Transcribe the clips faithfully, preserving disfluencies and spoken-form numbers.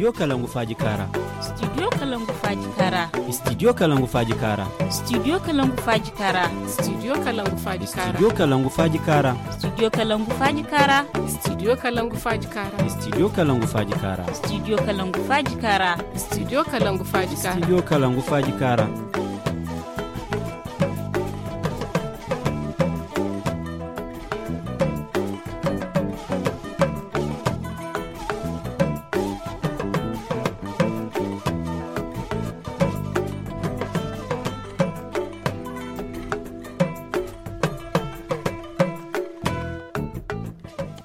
Studio Kalangu Faaji Kaara. Studio Kalangu Faaji Kaara. Studio Kalangu Faaji Kaara. Studio Kalangu Faaji Kaara. Studio Kalangu Faaji Kaara. Studio Kalangu Faaji Kaara. Studio Kalangu Faaji Kaara. Studio Kalangu Faaji Kaara. Studio Kalangu Faaji Kaara. Studio Kalangu Faaji Kaara. Studio Kalangu Faaji Kaara. Studio Kalangu Faaji Kaara.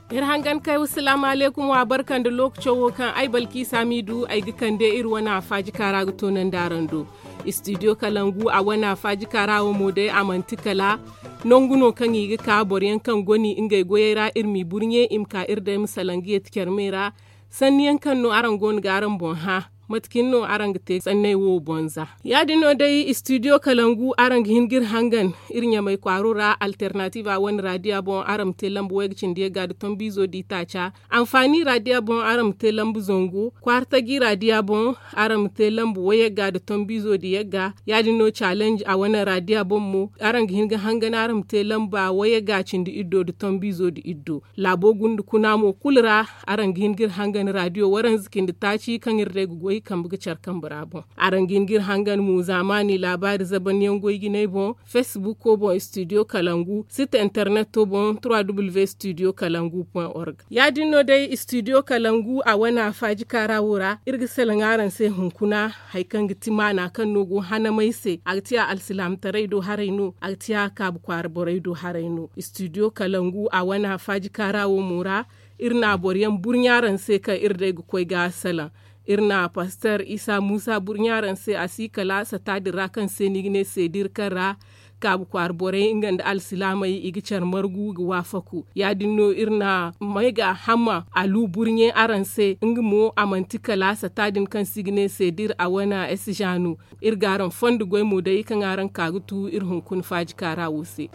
Iri hangan kay wa salaamu alaykum wa barka nda lookaco wo kaŋ ay balkiisa m'i du ay ga kande iri wane afaaji kaara ga toonandi araŋ do. Istidiyo kalangu a wane afaaji kaara wo mo day a manti kala nangu no kaŋ i ga ka boro yaŋ kaŋ goni ngey goyey ra iri m'i burɲe i ma ka iri day ma salaŋ ga yeeti carmey ra. Sanni yaŋ kaŋ no araŋ go no ga araŋ boŋ hã? Mate cine no araŋ ga te sanney wo boŋ za? Ya- din no day istidiyo kalangu araŋ ga hin ga iri hangan iri ɲamay kwaaro ra alternatiba wane raadiya boŋ araŋ ma te lamba wayga cindi yagga nda tombiizo di taaca. Anfaani raadiya boŋ araŋ ma te lamba zangu kwaartaji raadiya boŋ araŋ ma te lamba wayagga nda tombiizo di yagga. Ya- din no calenj a wane raadiya boŋ mo araŋ ga hin ga hangan araŋ ma te lamba wayagga cindi iddo nda tombiizo di iddo. Laabo gunda kuna mo kulu ra araŋ ga hin ga iri hangan raadiyo waranza cindi taaci kaŋ iri day ga goy kambe ga care kambe ra boŋ. Araŋ ga hin ga iri hangan mo zaamaani laabaari zabanyaŋ goy jinay boŋ, fesbuko boŋ istidiyo kalangu site interneto boŋ trois w istidiyo kalangu point org. Ya- din no day istidiyo kalangu a wane afaaji kaara wo ra iri ga salaŋ araŋ se hunkuna. Hari kaŋ ga ti maana kaŋ no go hanamay se a ga ti a alsilaamataray do haray no a ga ti a kaabu kwaara borey do haray no. Istidiyo kalangu a wane afaaji kaara wo mo ra iri na boro yaŋ burɲa araŋ se kaŋ iri day ga koy ga salaŋ. Iri na paster isa muusa burɲa araŋ se a si kala sata din ra kaŋ se no i ga ne seediri kaŋ ra kaabu kwaara borey nga nda alsilaamey i ga care margu ga waafaku. Ya- din no iri na may ga hamma alu burɲe araŋ se nga mo a manti kala sata din kaŋ se i ga ne seediri a wane esizaanu. Iri ga araŋ fondo goy mo day kaŋ araŋ ka ga tu iri hunkuna faaji kaara wo se.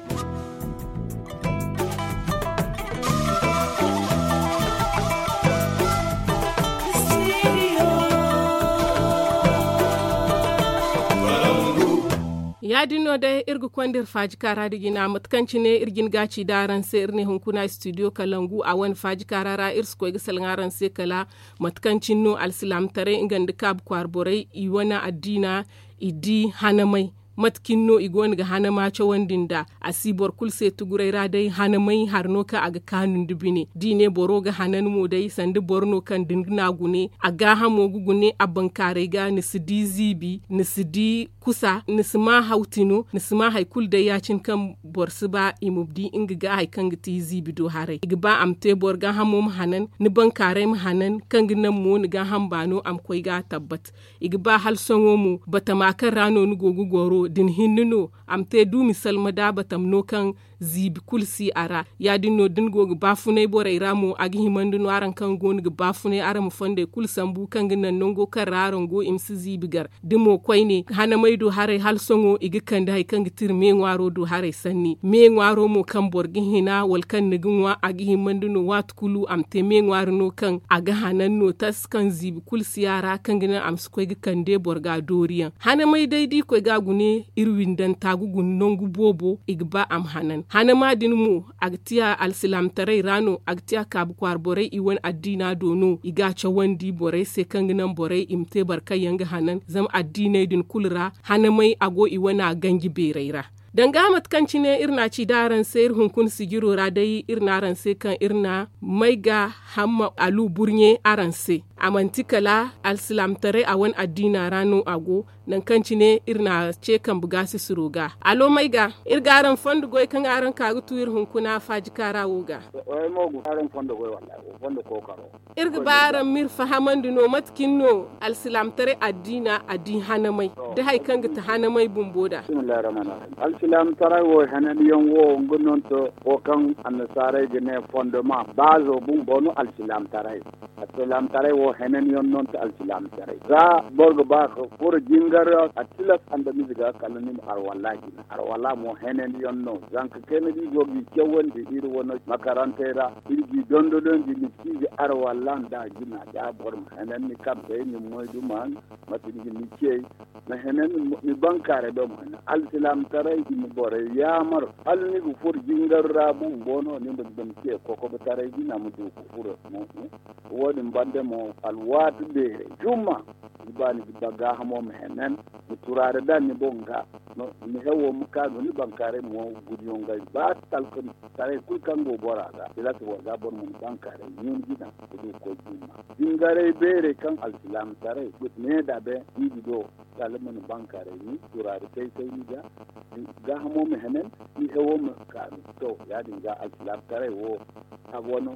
Ya- din no day iri ga konda iri faaji kaara da jina mate kaŋ cine iri jin ga ci da araŋ se iri ne hunkuna istidiyo kalangu a wane faaji kaara ra iri si koy ga salaŋ araŋ se kala mate kaŋ cine no alsilaamataray nga nda kaabu kwaara borey i wane addiina i di hanamay. Mate cine no i go no ga hanama cawandi nd'a a si boro kulu se tuguray ra day hanamay hari no kaŋ a ga kaanu nda bine da i ne boro ga hanan mo day sanda boro no kaŋ da ni na gune a gaahamo ga gune a bankaaray ga ni si di ziibi ni si di kusa ni si ma hawti no ni si ma hari kulu day ya- cine kaŋ boro si ba i ma di nga ga hari kaŋ ga ti ziibi do haray i ga ba a ma te boro gaahamo ma hanan ni bankaaray ma hanan kaŋ ga naŋ mo ni gaaham baano a ma koy ga tabbat. I ga ba hala sohõ mo batama kaŋ ra no ni go ga goro da ni hinne no a ma te duumi salma da batama no kaŋ ziibi kulu si a ra. Ya- din no da ni go ga baafunay borey ra mo a ga himandi no araŋ kaŋ go no ga baafunay araŋ ma fondey kulu sambu kaŋ ga naŋ nango kaŋ ra araŋ go i ma si ziibi gar. Da mo koyne hanamey do haray hala sohõ i ga kande hari kaŋ ga ti iri me ŋwaaro do haray sanni me ŋwaaro mo kaŋ boro ga hina wala kaŋ ni ga ŋwa a ga himandi no waati kulu a ma te me ŋwaari no kaŋ a ga hanan no tas kaŋ ziibi kulu si a ra kaŋ ga naŋ a ma si koy ga kande boro ga dooriyaŋ. Hanamey day da i koy ga a gune iri windanta ga guna nangu boobo i ga ba a ma hanan hanama din mo a ga tiya alsilaamataray ra no a ga tiya kaabu kwaara borey i wane addiina do no i ga a cawandi borey se kaŋ ga naŋ borey i ma te boro kaŋ yaŋ ga hanan zama addiiney din kulu ra hanamey a go i wane a ganji beerey ra. Danga mate kaŋ cine iri na a ci da araŋ se iri hunkuna sijiro ra day iri na araŋ se kaŋ iri na may ga hamma alu burɲe araŋ se. A manti kala alsilaamataray a wane addiina ra no a go. Nangu kaŋ cine iri na a ce kambe ga sisiro ga alo may ga iri ga araŋ fondo goy kaŋ araŋ ka ga tu iri hunkuna faaji kaara wo ga. Iri ga ba araŋ ma iri fahamandi no mate cine no alsilaamataray addiina a di hanamay da hari kaŋ ga ti hanamay bumbo da. Alsilaamataray wo hananyaŋ wo nga no nto wo kaŋ annasaarey ga ne fondoma baazo bumbo no alsilaamataray. Alsilaamataray wo Henan yaŋ no nta alsilaamataray za boro ga ba ka furo jingar ra a tilas andamize ga kala ni ma arwalla jina arwalla mo henan yaŋ no zanka kayna da i go ga i cawandi iri wane makarantey ra iri ga i dondonandi ni si ga arwalla nda jina da boro ma henan ni kambe ni moyduma mate ni ga ni cey ma henan ni bankaaray do ma henan alsilaamataray i ma borey yaamar hala ni ga furo jingar ra bumbo no ni ma dam ce kokobotaray jina ma du ga furo mo wo- din banda mo alwaati beerey jumma ni ba ni ga ba gaahamo ma henan ma turaari daŋ ni boŋ ga ni hewo ma kaanu ni bankaaray mo gudiyo ngey ba talka taray kulu kaŋ go bora ga tilas boro ga boro ma ni bankaaray ɲun jina ga du ga koy jumma jingaray beerey kaŋ alsilaamataray ne da be i ga do kala ma ni bankaaray ni turaari say say ni ga gaahamo ma henan ni hewo ma kaanu to ya- din ga alsilaamataray wo a go no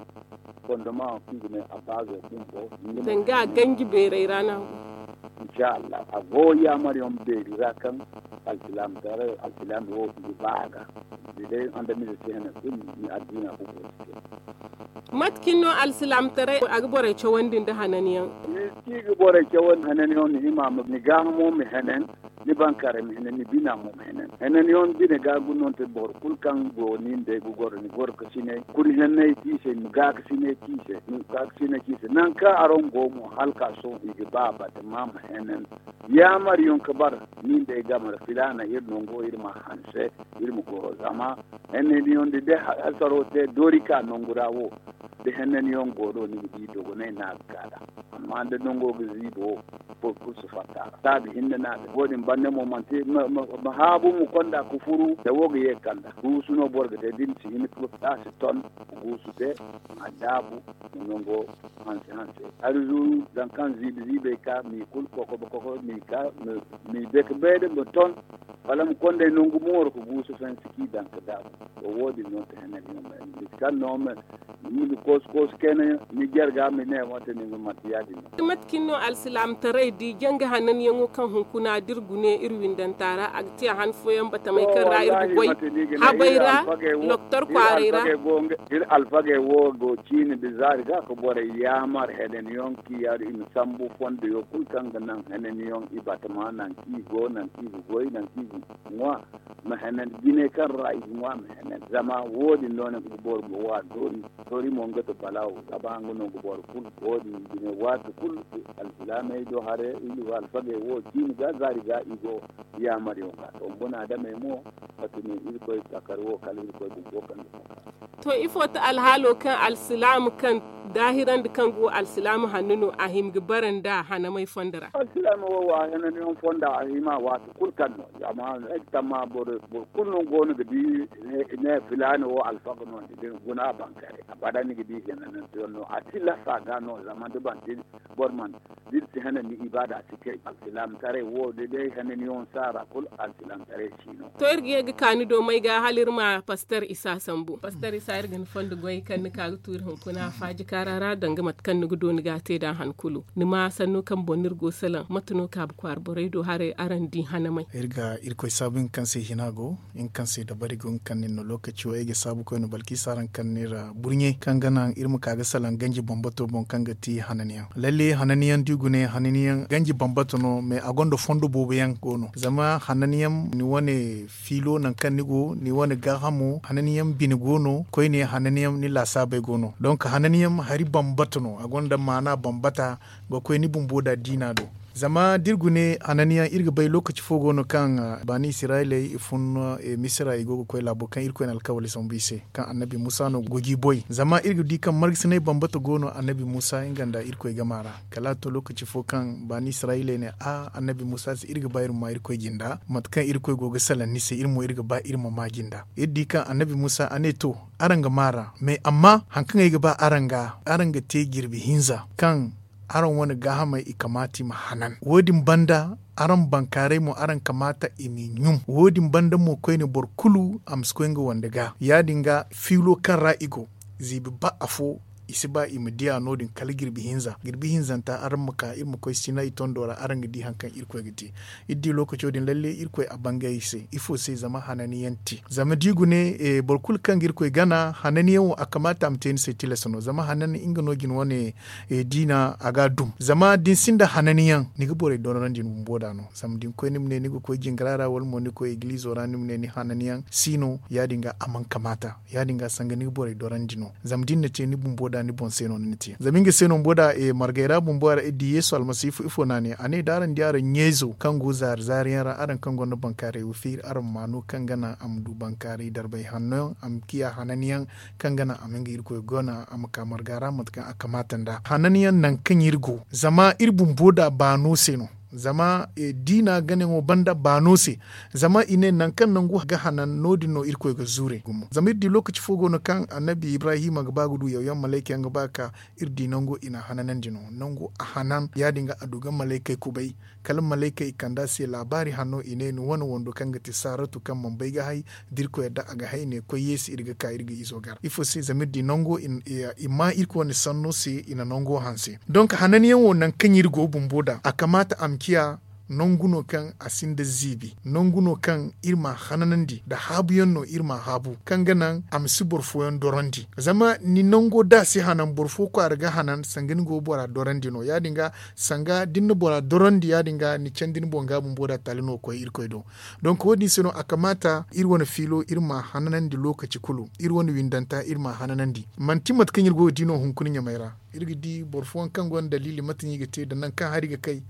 fondoma kaŋ i ga ne a baazo bumbo danga a ganji beerey ra no a go insha allah a go yaamar yaŋ beeri ra kaŋ alsilaamataray alsilaami wo i ga ba a ga da day andamize si hene kulu ni addiina bumbo si te mate cine no alsilaamataray a ga borey cawandi nda hanan yaŋ ni si ga borey cawandi hanan yaŋ ni hima ma ni gaahamo ma henen ni bankaaray ma henen ni bina mo ma henen henen yaŋ bine ga ga no ni te boro kulu kaŋ go ni nd'ey ga goro ni goro ka sinay kuri henney ci i se ni ma gaakasinay ci i se ni ma gaakasinay ci i se nangu kaŋ araŋ go mo hala ka sohõ i ga ba batama ma henen yaamar yaŋ ka bara ni nd'ey game ra filaana iri nango iri ma hanse iri ma goro zama henney ni yaŋ da day hasaro te doori ka nangu ra wo da henney ni yaŋ go no ni ga di dogonay no a ga ka nd'a amma da nango ga ziibi wo boro kulu si fatta a ra taabi hinne no a ga wo- din banda mo manti ma haabu ma konda ka furu da wo ga ye ga kanda guusu no boro ga te da ni si hin ka taasi ton ma guusu te ma daabu ma nango hanse hanse hari zuru zangu kaŋ ziibi ziibey ka m'i kulu kokobo kokobo m'i ka m'i dake beeda ma ton wala ma konday nangu mooro ka guusu fansi k'i daŋ ka daabu to wo- din no ti henney ni yaŋ ma ni bisa kaŋ no ma ni ma du koosu koosu kayna ni jarga ma ne wate ni ma manti ya- din no mate cine no alsilaamataray di janga hananyaŋo kaŋ hunkuna da iri gune iri windanta ra a ga te a han fooyaŋ batamey kaŋ ra iri ga goy habey ra doktor kwaaray ra iri alfagey wo go ciine da zaari ga ka borey yaamar hananyaŋ kaŋ i yaadu i ma sambu fondoyo kulu kaŋ ga naŋ hananyaŋ i batama naŋ kaŋ i go naŋ kaŋ i ga goy naŋ kaŋ i ga ŋwa ma henan jinay kaŋ ra i ga ŋwa ma henan zama wo- din no ni ga boro ma wa doori doori mo nga ti balaawo zama nga no ga boro kulu wo- din jinay waati kulu alsilaamey do haray iri wo alfagey wo ciine ga zaari ga i go yaamar yaŋ ga to buna adamey mo mate no irkoy takar wo kala irkoy bumbo kaŋ ga to ifo ti alhaalo kaŋ alsilaama kaŋ daahirandi kaŋ go alsilaama hanno no a hima ga bara nda hanamey fondo ra alsilaama wo wa hananyaŋ fonda a hima waati kulu kaŋ no zama ay ga tamma boro kulu no go no ga di ne filaana wo alfaga no ni ga guna a bankare abada ni ga di hananyaŋ no a tilasta ga no zama da manti boro mana da iri si hanandi ibaada si kay alsilaamataray wo da day hananyaŋ saara kulu alsilaamataray si no to iri ga ye ga ka ni do may ga hala iri ma paster isa sambu paster isa iri ga ni fondo goy kaŋ ni ka ga tu iri hunkuna faaji kaara ra danga mate kaŋ ni ga do ni ga a te nd'a han kulu ni ma sanno kaŋ boŋ no iri go salaŋ mate no kaabu kwaara borey do haray araŋ di hanamey iri ga irkoy saabu nga kaŋ se hina go nga kaŋ se dabari go nga kaŋ nin no lookaci wo ay ga saabu koyne balkisa araŋ kaŋ ni ra burɲe kaŋ ga naŋ iri ma ka ga salaŋ ganji bambato boŋ kaŋ ga ti hananyaŋ lalle hananyaŋ da i gune hananyaŋ ganji bambata no mais a gonda fondo boobo yaŋ go no zama hananyaŋ ni wane fiilo nangu kaŋ ni go ni wane gaahamo hananyaŋ bine go no koyne hananyaŋ ni laasaabey go no donk hananyaŋ hari bambata no a gonda maana bambata ga koy ni bumbo da diina do zama da iri gune hananyaŋ iri ga bay lookaci fo go no kaŋ baani isirayiley i fun misira i go ga koy laabo kaŋ irkoy na alkawali sambu i se kaŋ annabi musa no go g'i boy zama iri ga di kaŋ margasinay bambata go no annabi musa nga nda irkoy gama ra kala a to lookaci fo kaŋ baani isirayiley ne a annabi musa se iri ga ba iri ma maa irkoy jinda mate kaŋ irkoy go ga salaŋ ni se iri mo iri ga ba iri ma maa jinda iri di kaŋ annabi musa a ne to araŋ ga maa ra mais amma hari kaŋ ay ga ba araŋ ga araŋ ga te jirbi hinza kaŋ araŋ wane gaahamey i kamaata i ma hanan wo- din banda araŋ bankaaray mo araŋ kamaata i m'i ɲum wo- din banda mo koyne boro kulu a ma si koy nga wande ga ya- din ga fiilo kaŋ ra i go ziibi ba afo I si ba i ma diya no- din kala jirbi hinza jirbi hinzanta araŋ ma ka iri ma koy sinay tondo ra araŋ ga di hari kaŋ irkoy ga te. Iri di lookaco din lalle irkoy a bangay iri se ifo se zama hananyaŋ te zama da i gune boro kulu kaŋ ga irkoy gana hananyaŋ wo a kamaata a ma te ni se tilas no zama hanan nga no jina wane diina a ga a dum zama da ni sinda hananyaŋ ni ga borey dorandi ni bumbo da no. Zama da ni koy ni ma ne ni ga koy jingira ra wala mo ni koy igilizo ra ni ma ne ni hananyaŋ si no ya- din ga a mana kamaata. Ya- din ga sanga ni ga borey dorandi no zama da ni na te ni bumbo da ni boŋ se no ni na te zama nga se no bumbo da margey ra bumbo ra iri di yeesu almasiifu ifo no a ne a ne da araŋ di araŋ ɲeezo kaŋ go zaari zaari yaŋ ra araŋ kaŋ gonda bankaaray wa feeri araŋ ma no kaŋ ga naŋ a ma du bankaaray darbay hanno yaŋ a ma ciya hanan yaŋ kaŋ ga naŋ a ma nga irkoy gona a ma ka marga ra mate kaŋ a kamaata nd'a hanan yaŋ nangu kaŋ iri go zama iri bumbo da baano se no. Zama diina ganayaŋo banda baano se zama i ne nangu kaŋ nangu ga hanan no- din no irkoy ga zuure gumo zama iri di lookaci fo go no kaŋ annabi ibrahima ga ba ga du yawyaŋ malayka yaŋ ga ba ga ka iri di nango i n'a hananandi no nango a hanan ya- din ga a du ga malaykey kubay kala malaykey i kand'a se laabaari hanno i ne ni wane wando kaŋ ga ti saratu kaŋ mana bay ga hay da irkoy yadda a ga hay ne koy yeesi iri ga ka iri ga izo gar ifo se zama iri di nango i ma irkoy wane sanno se i na nango hanse. Donk hananyaŋ wo nangu kaŋ iri go bumbo da a kamaata a ma ciya nangu no kaŋ a sinda ziibi nangu no kaŋ iri m'a hananandi nda haabuyaŋ no iri m'a haabu kaŋ ga naŋ a ma si boro fooyaŋ dorandi. Zama ni nango da a si hanan boro fo kwaara ga hanan sanga ni go bora dorandi no ya- din ga sanga da ni na bora dorandi ya- din ga ni candi ni boŋ ga bumbo da taali no ga koy irkoy do. Donk wo- din se no a kamaata iri wane fiilo iri m'a hananandi lookaci kulu iri wane windanta iri m'a hananandi manti mate kaŋ iri go ga di no hunkuna ɲamey ra. Iri ga di boro fooyaŋ kaŋ gonda daliili mate no i ga te nda nangu kaŋ hari ga kay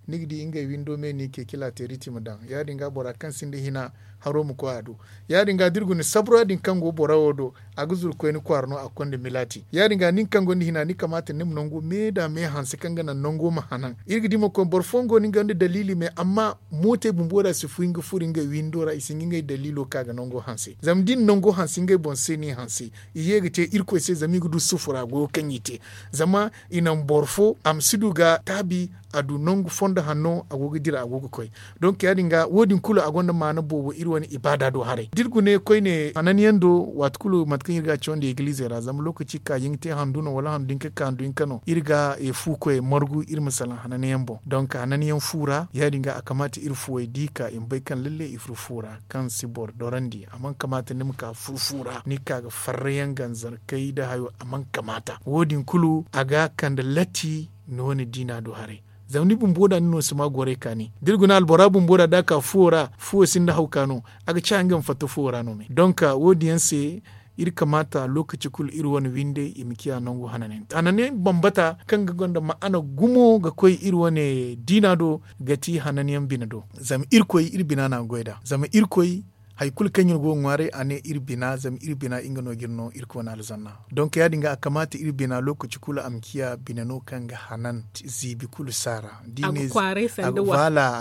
ni ga di ngey windo me no i ce kila teeriti ma daŋ ya- din ga bora kaŋ sinda hina haro ma koy a do. Ya- din ga da iri guna sabura din kaŋ go bora wo do a ga zuru koyne kwaara no a ga konda milaati ya- din ga nin kaŋ gonda hina ni kamaata ni ma nango me nda me hanse kaŋ ga naŋ nango ma hanan iri ga di mo koy boro fooyaŋ go no nga nda daliili me amma mootey bumbo da si fun ga furo ngey windo ra i si hin ga ngey daliilo ka ga nango hanse zama da i na nango hanse ngey boŋ se no i hanse i ye ga te irkoy se zama i ga du sufura goyo kaŋ i te. Zama i naŋ boro fo a ma si du ga taabi a du nangu fondo hanno a go ga dira a go ga koy. Donk ya- din ga wo- din kulu a gonda maana boobo iri wane ibaada do haray da iri gune koyne hananyaŋ do waati kulu mate kaŋ iri ga a cawandi egilizey ra zama lookaci kaayaŋ ga te handu no wala handu hinka ka handu hinka no iri ga fu koy margu iri ma salaŋ hananyaŋ boŋ donk hananyaŋ fu ra ya- din ga a kamaata iri fuwey da i ka i ma bay kaŋ lalle i furo fu ra kaŋ si boro dorandi a mana kamaata ni ma ka furo fu ra ni ga ka ga farrayaŋ ganzarkey nda hayo a mana kamaata wo- din kulu a ga kande latti ni wane diina do haray. Zama ni bumbo da ni no si ma goray kaani da iri guna albora bumbo da da a ka fuwo ra fuwo sinda hawka no a ga ciya nga ma fatta fuwo ra no me donk wo- din yaŋ se iri kamaata lookaci kulu iri wane windey i ma ciya nangu hananyaŋ hananyaŋ bambata kaŋ ga gonda ma'ana gumo ga koy iri wane diina do ga ti hananyaŋ bine do. Zama irkoy iri bina no a ga goy nd'a zama irkoy hari kulu kaŋ iri go ga ŋwaaray a ne iri bina zama iri bina nga no ga iri no irkoy wane alzanna. Donk ya- din ga a kamaata iri bina lookaci kulu a ma ciya bine no kaŋ ga hanan ziibi kulu saara da i ne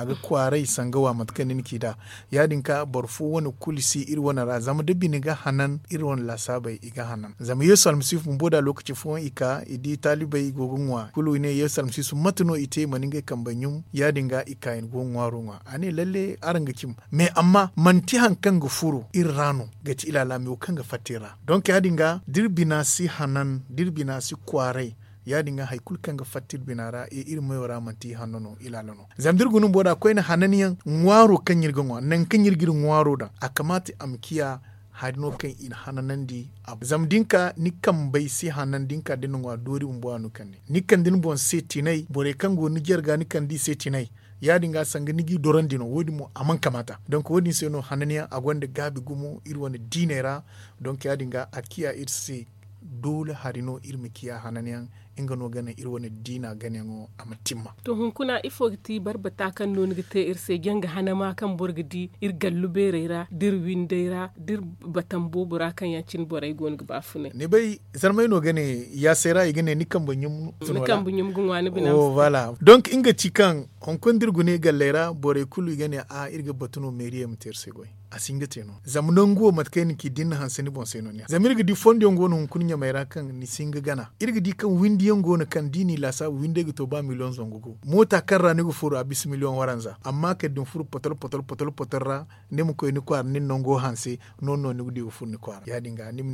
a ga kwaaray sanga wa mate kaŋ ni na ci nd'a. Ya- din ka boro fo wane kulu si iri wane ra zama da bine ga hanan iri wane laasaabey i ga hanan zama yeesu almasiifu bumbo da lookaci fooyaŋ i ka i di taalibey i go ga ŋwa kulu i ne yeesu almasiifu mate no i te i mana ngey kambey ɲum ya- din ga i ka i na go ga ŋwaaro ŋwa a ne lalle araŋ ga cim. Mais amma manti hari kaŋ ga furo iri ra no ga ti ilaala me wo kaŋ ga fatta iri ra donk ya- din ga da iri bina si hanan da iri bina si kwaaray ya- din ga hari kulu kaŋ ga fatta iri bina ra e iri mayo ra manti ihanno no ilaala no. Zama da iri guna bumbo da koyne hananyaŋ ŋwaaro kaŋ iri ga ŋwa nangu kaŋ iri ga iri ŋwaaro daŋ a kamaata a ma ciya hari no kaŋ i na hananandi a boŋ zama da ni ka ni kambey si hanan da ni ka da ni na ŋwa doori bumbo a no kande ni kande ni boŋ se tinay borey kaŋ go ni jarga ni kande i se tinay. Ya- din ga sanga ni g'i dorandi no wo- din mo a mana kamaata donk wo- din se no hananyaŋ a gonda gaabi gumo iri wane diiney ra. Donk ya- din ga a ciya iri se doole hari no iri ma ciya hananyaŋ nga no ga naŋ iri wane diina ganayaŋo a ma timma. To hunkuna ifo ga ti barbata kaŋ no ni ga te iri se janga hanama kaŋ boro ga di iri gallu beerey ra da iri windey ra da iri batan boobo ra kaŋ yaŋ cine borey go no ga baafunay? Ni bay zarmay no ga ne yaasay ra i ga ne ni kambe ɲum ga ŋwa ni bina ma si te. Donk nga ci kaŋ hunkuna da iri gune galley ra borey kulu i ga ne a iri ga batu no meeriyey ma te iri se goy. A si hin ga te no zama nangu wo mate kaŋ ay na ci da ni na hanse ni boŋ se no ni a zama iri ga di fondo yaŋ go no hunkuna ɲamey ra kaŋ ni si hin ga gana iri ga di kaŋ windi yaŋ go no kaŋ da i n'i laasaabu windey ga to ba miliyoŋ zangu gu moota kaŋ ra ni ga furo a bisa miliyoŋ waranza amma kala da ni furo potol potol ra ni ma koy ni kwaara ni na nango hanse. Noodin no ni ga di ga furo ni kwaara ya- din ga ni ma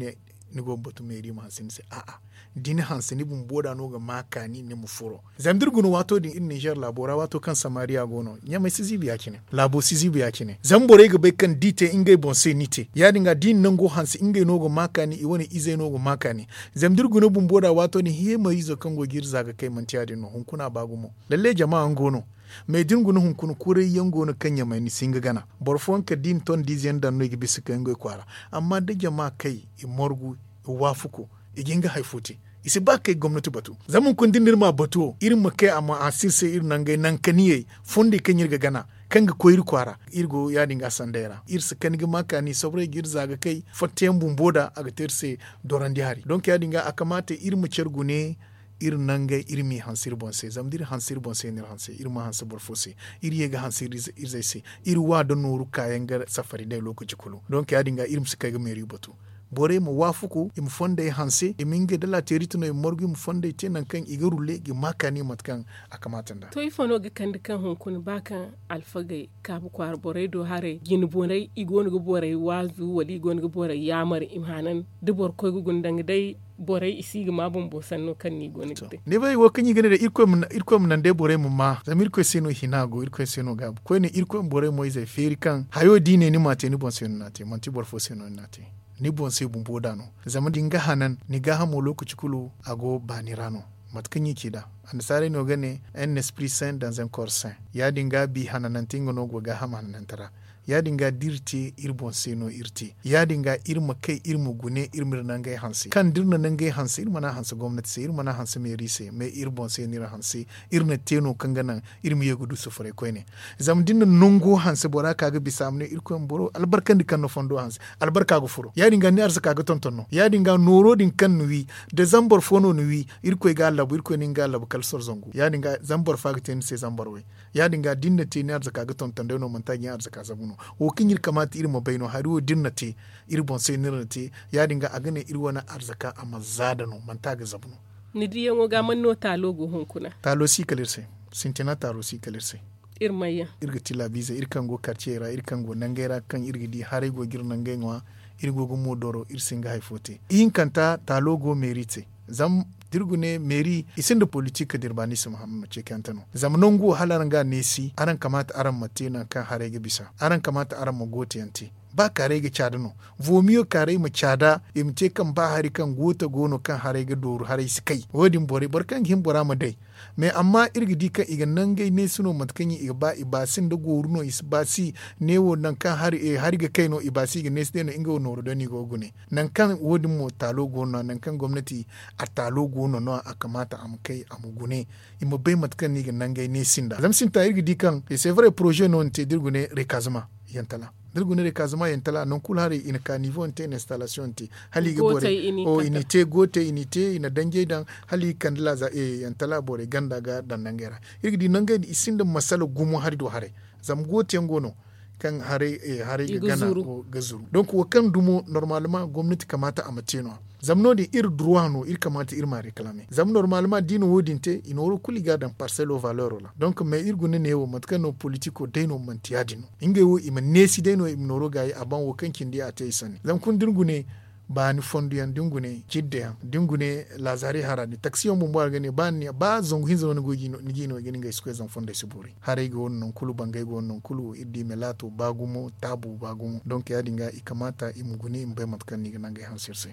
ne ni go ga batu meeri ma hanse ni se a'a. Da ni hanse ni bumbo da no ga ma kaani ni ma furo. Zama da iri guna waato din iri ninzeer laabo ra waato kaŋ samariya go no ɲamay si ziibi ya- cine, laabo si ziibi ya- cine. Zama borey ga bay kaŋ da i te ngey boŋ se ni te ya- din ga da i na nango hanse ngey no ga ma kaani i wane izey no ga ma kaani. Zama da iri guna bumbo da waato din heemariizo kaŋ go ga iri za ga kay manti ya- din no hunkuna ba gumo. Lalle jama yaŋ go no. Mais da ni guna hunkuna kuray yaŋ go no kaŋ ɲamay ni si hin ga gana. Boro fooyaŋ kala da i na ton da ize yaŋ daŋ no i ga bisa ga kay ngey kwaara. Amma da jama kay, i margu, i waafaku, i ga hin ga hari fo te. I si ba ga kay ga gomnati batu. Zama hunkuna da ni na iri ma batu wo iri ma kay a ma hanse iri se iri nangey nankaniyey, fondey kaŋ iri ga gana, kaŋ ga koy iri kwaara. Iri go ya- din ga sandey ra iri si kani ga ma kaani sobrey ga iri za ga kay fattayaŋ bumbo da a ga te iri se. Dorandi hari donk ya- din ga a kamaate iri ma care gune. Iri nangey iri m'i hanse iri boŋ se zama da iri hanse iri boŋ se no iri hanse iri ma hanse boro fo se. Iri ye ga hanse iri izey se. Iri wa da nooru kaayaŋ ga safari day lookaci kulu donk ya- din ga iri ma si kay ga meeri batu. Borey ma waafaku i ma fondey hanse i ma ngey da laateerite no i ma margu i ma fondey te nangu kaŋ i ga rulle ga ma kaani mate kaŋ a kamaate nd'a. To ifo no ga kande kaŋ hunkuna ba kaŋ alfagey kaabu kwaara borey do haray jine borey i go no ga borey waazu wala i go no ga borey yaamar i ma hanan da boro koy ga guna danga day borey i si ga ma bumbo sanno kaŋ no i go no ga te. Ni bay wo kaŋ i ga ne day irkoy ma naŋ day borey ma ma zama irkoy se no hina go irkoy se no gaabu koyne irkoy ma borey mo izey feeri kaŋ hayo da i ne ni m'a te ni boŋ se no ni n'a te manti boro fo se no ni n'a te. Ni boŋ se bumbo da no zama da ni ga hanan ni gaahamo lookaci kulu a go baani ra no. Mate kaŋ i ci nd'a annasaarey no ga ne un esprit saint dans un corps saint. Ya- din ga bi hananante nga no go gaaham hananante ra. Ya- din ga da iri te iri boŋ se no iri te ya- din ga iri ma kay iri ma gune iri ma iri nangey hanse kaŋ da iri na nangey hanse iri mana hanse gomnati se iri mana hanse meeri se mais iri boŋ se no iri hanse. Iri na te no kaŋ ga naŋ iri ma ye ga du sufuray koyne. Zama da ni na nango hanse bora ka ga bisa a ma ne irkoy ma boro albarkandi kaŋ na fondo hanse albarka ga furo ya- din ga ni arzaka ga tonton no ya- din ga nooro din kaŋ ni wi da zambar fo no ni wi. Irkoy ga a labu irkoy no ni ga a labu kala soro zangu ya- din ga zambar fo a ga te ni se zambar way. Ya- din ga da ni na te ni arzaka ga tonton day no manti a ga ni arzaka zabu no. Wo kaŋ iri kamaata iri ma bay no hari wo da iri na te iri boŋ se no iri na te. Ya- din ga a ga ne iri wane arzaka a ma za da no manti a ga zabu no. Ni diyaŋo ga man no taalo go hunkuna. Taalo si kala iri se. Sintina taalo si kala iri se. Iri mayyaŋ iri ga ti laabiizey iri kaŋ go karciyey ra iri kaŋ go nangey ra kaŋ iri ga di haray go ga iri nangey ŋwa. Iri go ga moodoro iri si hin ga hari fo te ihinkanta taalo go meeri te. Zama da iri ga ne meeri i sinda politik da iri ba ni si ma hama ma ceekante no zama nangu wo hala araŋ ga a neesi araŋ kamaata araŋ ma te nangu kaŋ haray ga bisa araŋ kamaata araŋ ma goote yaŋ te. Ba kaaray ga caada no. Vomiyo kaaray ma caada i ma te kaŋ ba hari kaŋ goota go no kaŋ haray ga dooru haray si kay wo- din borey boro kaŋ ga hin bora ma day. Mais amma iri ga di kaŋ i ga nangey neesi no mate kaŋ i ga ba i baasi nda gooru no i si baasi. Ne wo nangu kaŋ hari ga kay no i baasi i ga neesi day no nga wo nooru day no i go ga gune. Nangu kaŋ wo- din mo taalo go no no- ya nangu kaŋ gomnati a taalo go no no- ya a kamaata a ma kay a ma gune. I ma bay mate kaŋ no i ga nangey neesi nd'a zama sintina iri ga di kaŋ c'est vrai poroze no ni te da iri gune rekazama. Yantala da iri gune rekazama yantala nangu kulu haray i na ka nivo ni te i na installation ni te hala i ga borey i n'i te gootey i n'i te i na danjey daŋ hala i ga kande laaza yantala borey ganda ga daŋ nangey ra. Iri ga di nangey din i sinda masala gumo hari do haray. Zama goote yaŋ go no kaŋ haray ga gana ga zuru. Donc wo kaŋ dumo normalement gomnati kamaata a ma te no- ya. Zama no- din iri droit no iri kamaata iri ma a reclamer zama normalement da i na wo- din te i nooro kulu i ga a daŋ parcelle o valeur ra donc mais iri guna ne wo mate kaŋ no politiko day no manti ya- din no. Ngey wo i ma neesi day no i ma nooro gaayi a ban wo kaŋ cindi a te i sanni zama kulu da ni gune baani fondo yaŋ da ni gune jidda yaŋ da ni gune laazari hara din taksi yaŋ bumbo a ga ne ba zangu hinza no ni ga i no i ga ni ngey si koy zama fondey si boori haray ga wane nangu kulu bangey ga wane nangu kulu iri di melaato ba gumo taabu ba gumo donc ya- din ga i kamaata i ma gune i ma bay mate kaŋ no i ga nangey hanse iri se.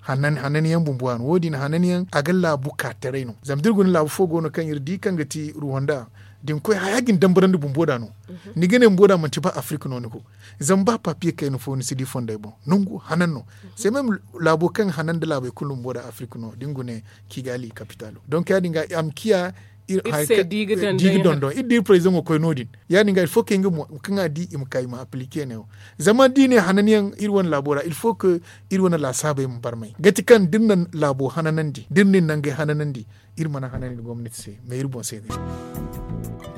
Hanani yaŋ bumbo a no wo- din hanani yaŋ a ga laabu ka taray no zama da iri guna laabu fo go no kaŋ iri di kaŋ ga ti ruwanda da ni koy haya ga ni dambarandi bumbo da no. Ni ga ne bumbo da manti ba afirka no ni go zama ba papiye kayna fo ni si di fondey boŋ nangu hanan no. C'est même laabo kaŋ hanan da laabey kulu bumbo da afirka no da ni gune kigali kapitalo donc ya- din ga a ma ciya iri se di ga dondon iri di iri prezidaŋo koy no- din. Ya- din ga il faut que nga mo kaŋ a di i ma ka i ma aplike ne wo zama da i ne hananiyaŋ iri wane laabo ra il faut que iri wane laasaabey ma barmay gati kaŋ da iri na laabo hananandi da iri na iri nangey hananandi iri mana hanandi gomnati se mais iri boŋ se no iri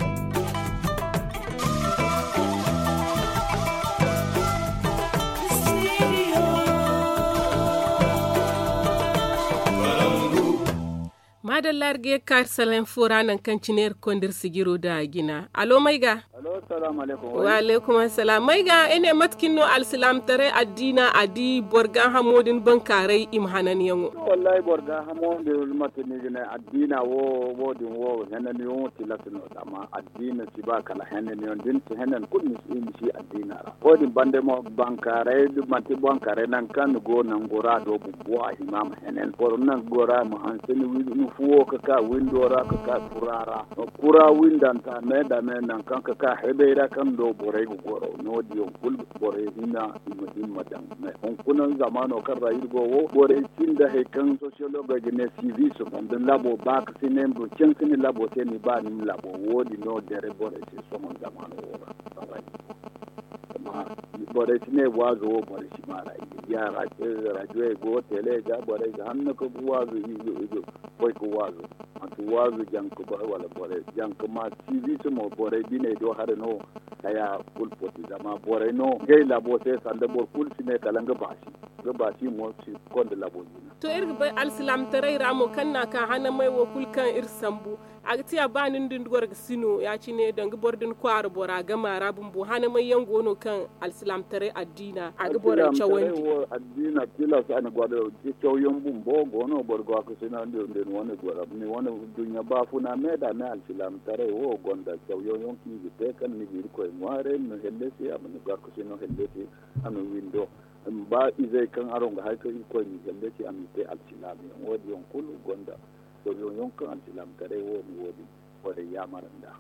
maadalla iri ga ye ga kaari salaŋ fo ra nangu kaŋ cine iri ga konda iri sijiro nda a jina alo may ga Alo, salaamu alaykum. Wa alaykum assalaam. May ga ay ne mate cine no alsilaamataray addiina a di boro gaahamo din bankaaray i ma hananyaŋo? Wallaahi boro gaahamo din mate ni ga ne addiina wo wo din wo hananyaŋo tilas no zama addiina si ba kala hananyaŋo da ni si hanan kulu ni si addiina ra. Wo- din banda mo bankaaray manti bankaaray nangu kaŋ ni go nango ra do bumbo a hima ma hanan boro nango ra ma hanse ni fuwo ka ka windo ra ka ka kura ra. Kura windanta me da me nangu kaŋ ka ka hebey ra kaŋ do borey ga goro no- din yaŋ kulu borey hina i ma himma daŋ. Hunkuna zamaano kaŋ ra iri go wo borey sinda hari kaŋ sociologue ga ne sivis banda labo ba ka si ne ma du cansi ni labo se ni ba ni ma labo wo- din no dere borey se sohõ zamaano wo ra. Borey si ne waazo wo borey si maara i ga diya rajo go tele ga borey ga hanno ka ga waazo i ga koy ga waazo. Manti waazo janka ba wala borey janka ma sivis mo borey biney do hare no. Haya kulu poti zama borey no gay labo se sanda boro kulu si ne kala nga baasi. Nga baasi mo si konda labo jina. To iri ga bay alsilaamataray ra mo kaŋ na ka hanamay wo kulu kaŋ iri sambu a ga tiya ba nin din goro ga si no ya- cine danga boro din kwaara bora gama ra bumbo hanamay yaŋ go no kaŋ alsilaamataray addiina a ga borey cawandi. Addiina tilas a na gwada cawyaŋ bumbo go no boro ga ka si no din wane goro ni wane duɲɲa baafuna me da me alsilaamataray wo gonda cawyaŋ yaŋ kaŋ i ga te kaŋ ni ga irkoy ŋwaaray ma hellesi a ma ni ga ka si no hellesi a ma windo. Ba izey kaŋ araŋ ga hari kaŋ irkoy ma hellesi a ma i te alsilaama yaŋ wo- din yaŋ kulu gonda cawyaŋ yaŋ kaŋ alsilaamataray wo ma wo- din.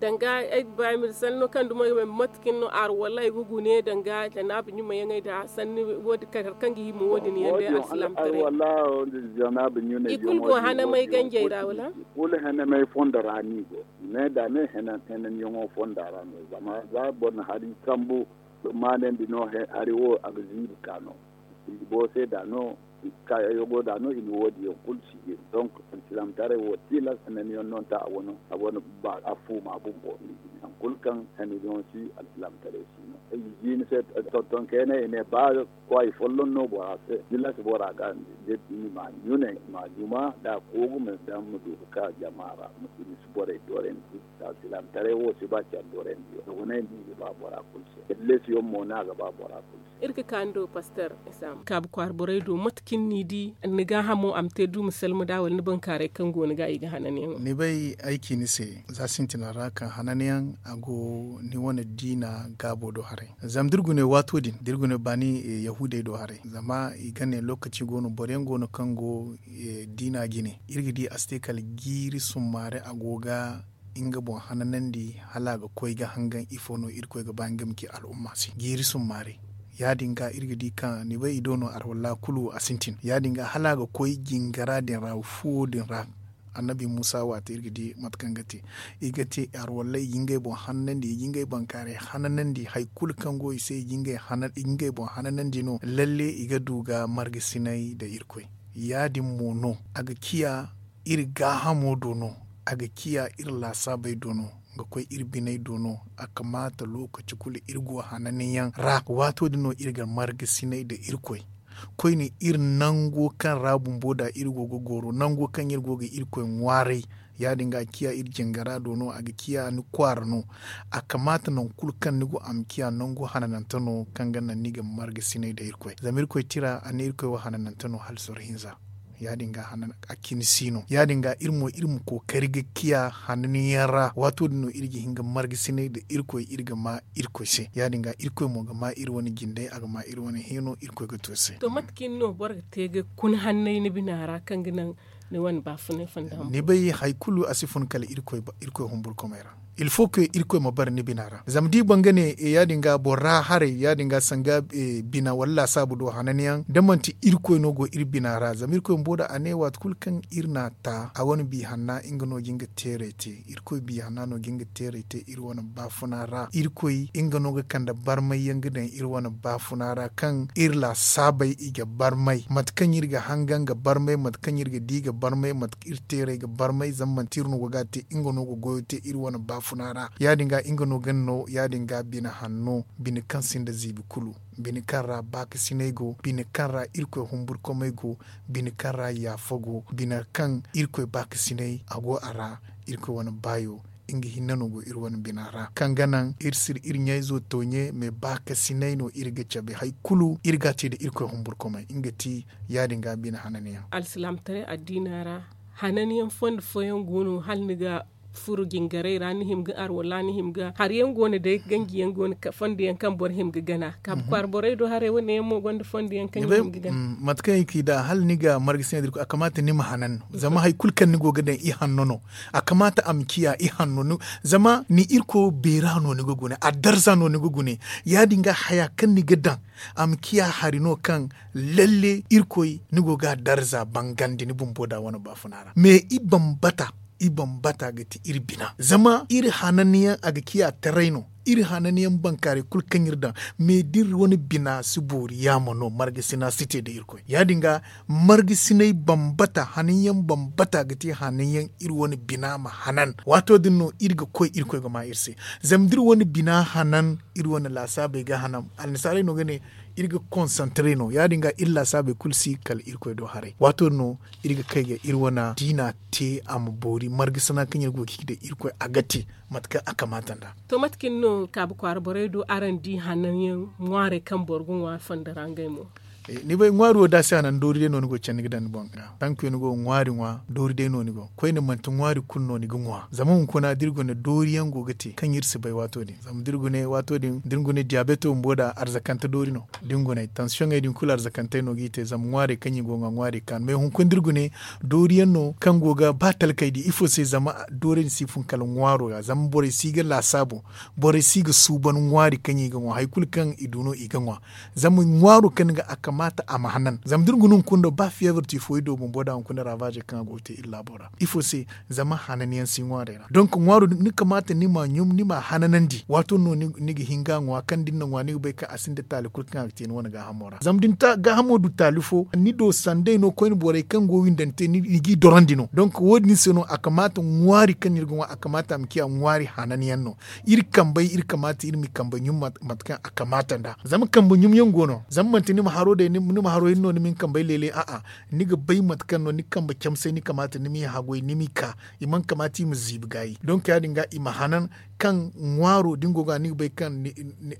Danga ay ga ba ay ma di sanni no kaŋ dumo ay ga bay mate kaŋ no arwallay ga gune danga janaabu ɲumayaŋey da sanni wo- din kala hari kaŋ ga hima wo- din yaŋ day alsilaamataray. Arwalla wo- din janaabu ɲunay i kulu go hanamay ganjey ra wala? Kulu hanamay fondo ra no i go. Me da me hananyaŋo fonda ra no zama za boro na hari sambu maanandi no hari wo a ga ziibi ka no. Ziibo se da no kaayaŋ yaŋo da no i na wo- din yaŋ kulu si jin donk alsilaamataray wo tilas hananyaŋ no nta a wane a wane ba a fuuma bumbo. Hari kulu kaŋ hananyaŋo si alsilaamataray si no ay ga ji ni se tonton kayna i ne ba kwaay folloŋ no bora se tilas bora ga ni ma ɲunay ma juma da koogu ma daŋ ma du ga ka jama ra ma si ni si borey dorandi. Alsilaamataray wo si ba care dorandi yaŋ dogonay no i ga ba bora kulu se hellesiyaŋ mo no a ga ba bora kulu se. Iri ga ka ni do paster isam kaabu kwaara borey do mate kaŋ ni di ni gaahamo a ma te du ma salma da wala ni bankaaray kaŋ go ni ga i ga hananyaŋo? Ni bay ay ci ni se za sintina ra kaŋ hananyaŋ a go ni wane diina gaabo do haray. Zama da iri gune waato din da iri gune baani yahuudey do haray zama i ga ne lookaci go no boro yaŋ go no kaŋ go diina jine iri ga di a si te kala jiiri summaari a go ga nga boŋ hananandi hala a ga koy ga hangan ifo no irkoy ga ba nga ma ci al'umma se jiiri summaari. Ya- din ga iri ga di kaŋ ni bay i do no arwalla kulu a sintin ya- din ga hala a ga koy jingara din ra fuwo din ra. Annabi muusa waati iri ga di mate kaŋ ga te i ga te arwalla i ga ngey boŋ hananandi i ga ngey bankaaray hananandi hari kulu kaŋ go i se i ga ngey boŋ hananandi no lalle i ga du ga margasinay nda irkoy. Ya- din mo no a ga ciya iri gaahamo do no a ga ciya iri laasaabey do no ga koy iri biney do no. A kamaata lookaci kulu iri go hananyaŋ ra waato din no iri ga margasinay nda irkoy koyne iri nango kaŋ ra bumbo da iri go ga goro nango kaŋ iri go ga irkoy ŋwaaray. Ya- din ga a ciya iri jingara do no a ga ciya ni kwaara no. A kamaata nangu kulu kaŋ ni go a ma ciya nangu hananante no kaŋ ga naŋ ni ga margasinay nda irkoy zama irkoy tira a ne irkoy wo hananante no hala soro hinza. Ya- din ga a cine si no ya- din ga iri mo iri ma kookari ga ciya hananyaŋ ra waato din no iri ga hin ga margasinay nda irkoy iri ga ma irkoy se ya- din ga irkoy mo ga ma iri wane jindey a ga ma iri wane hino irkoy ga to se. To mate cine no boro ga te ga kun hanney ni bina ra kaŋ ga naŋ ni wane baafunay fonda ni bay hari kulu a si fun kala irkoy humburkomey ra. Il faut que irkoy ma bare ni bina ra zama da i banga ne ya- din ga boro ra haray ya- din ga sanga bina wala laasaabu do hananyaŋ da manti irkoy no go iri bina ra zama irkoy bumbo da a ne waati kulu kaŋ iri n'a ta a wane biya hanna nga no ga nga teeray te irkoy biya hanna no ga nga teeray te iri wane baafuna ra irkoy nga no ga kande barmay yaŋ ga daŋ iri wane baafuna ra kaŋ iri laasaabey i ga barmay mate kaŋ iri ga hangan ga barmay mate kaŋ iri ga di ga barmay mate kaŋ iri teeray ga barmay zama manti iri no go ga a te nga no ga goyo te iri wane baafuna ra ya- din ga nga no ga no ya- din ga bine hanno bine kaŋ sinda ziibi kulu bine kaŋ ra baakasinay go bine kaŋ ra irkoy humburkomey go bine kaŋ ra yaafa go bine kaŋ irkoy baakasinay a go a ra irkoy wane baayo nga hinne no go iri wane bina ra kaŋ ga naŋ iri si iri ɲayzo tooɲe mais baakasinay no iri ga cabe hari kulu iri ga a te nda irkoy humburkumay nga ti ya- din ga bine hananyaŋ. Alsilaamataray addiina ra hananyaŋ fondo fooyaŋ go no hala ni ga furo jingaray ra ni hima ga arwala ni hima ga hari yaŋ go no day ganji yaŋ go no fondo yaŋ kaŋ boro hima ga gana kaabu kwaara borey do haray wane yaŋ mo gonda fondo yaŋ kaŋ i hima ga gana. Mate kaŋ i ga ci nd'a hala ni ga marga sina da irkoy a kamaata ni ma hanan zama hari kulu kaŋ ni go ga daŋ ihanno no. A kamaata a ma ciya ihanno zama ni irkoyo beera no ni ga gune a darza no ni ga gune. Ya- din ga haya kaŋ ni ga daŋ a ma ciya hari no kaŋ lalle irkoy ni go ga a darza bangandi ni bumbo da wane baafuna ra mais i bambata i bambata ga ti iri bina zama iri hananyaŋ a ga ciya taray no. Iri hananyaŋ bankaaray kulu kaŋ iri daŋ mais da iri wane bina si boori yaama no marga sina si te nda irkoy ya- din ga marga sinay bambata hananyaŋ bambata ga ti hananyaŋ iri wane bina ma hanan waato din no iri ga koy irkoy ga ma iri se. Zama da iri wane bina hanan iri wane laasaabey ga hanan annasaarey no ga ne iri ga konsantre no ya- din ga iri laasaabey kulu si kala irkoy do haray waato din no iri ga kay ga iri wane diina te a ma boori marga sina kaŋ iri go ga ci nda irkoy a ga te. Mate kaŋ a kamaata nd'a. To mate kaŋ no kaabu kwaara borey do araŋ di hananyaŋ ŋwaaray kaŋ boro ga ŋwa fondo ra ngey mo? Ni bay ŋwaari wo da a si hanan doori day no ni go ga candi ga daŋ ni boŋ ga tankuyo ni go ga ŋwaari ŋwa doori day no ni go koyne manti ŋwaari kulu no ni ga ŋwa zama hunkuna da iri gune doori yaŋ go ga te kaŋ iri si bay waato din zama da iri gune waato din da iri gune diyabeto bumbo da arzakante doori no da ni guney tansiyoŋey din kulu arzakantey no g'i te zama ŋwaarey kaŋ i go ga ŋwa ŋwaarey kaanu mais hunkuna da iri gune doori yaŋ no kaŋ go ga ba talkey di ifo se zama doori din si fun kala ŋwaaro ra zama borey si ga laasaabu borey si ga suuban ŋwaari kaŋ i ga ŋwa hari kulu kaŋ i du no i ga ŋwa. Zama ŋwaaro kaŋ ni ga a kamaata a ma hanan zama da iri guna hunkuna do ba fiyeebar tifoydo bumbo da hunkuna ravaazey kaŋ a go ga te iri laabo ra ifo se zama hanan yaŋ si ŋwaarey ra donk ŋwaaro din ni kamaata ni m'a ɲum ni m'a hananandi waato no ni ga hin ga a ŋwa kaŋ da ni na ŋwa ni ga bay kaŋ a sinda taali kulu kaŋ a ga te ni wane gaahamo ra zama da ni gaahamo du taali fo ni do sanday no koyne borey kaŋ go windante ni g'i dorandi no donk wo- din se no a kamaata ŋwaari kaŋ no iri ga ŋwa a kamaata a ma ciya ŋwaari hanan yaŋ no. Iri kambey iri kamaata iri m'i kambey ɲum mate kaŋ a kamaata nd'a zama kambe ɲum yaŋ go no zama manti ni ma haro day ni ma haro hinne no ni ma ni kambey leele a'a. Ni ga bay mate kaŋ no ni kambe camsey ni kamaata ni m'i hagoy ni m'i ka i mana kamaata i ma ziibi gaayi donk ya- din ga i ma hanan kaŋ ŋwaaro da ni go ga ni ga bay kaŋ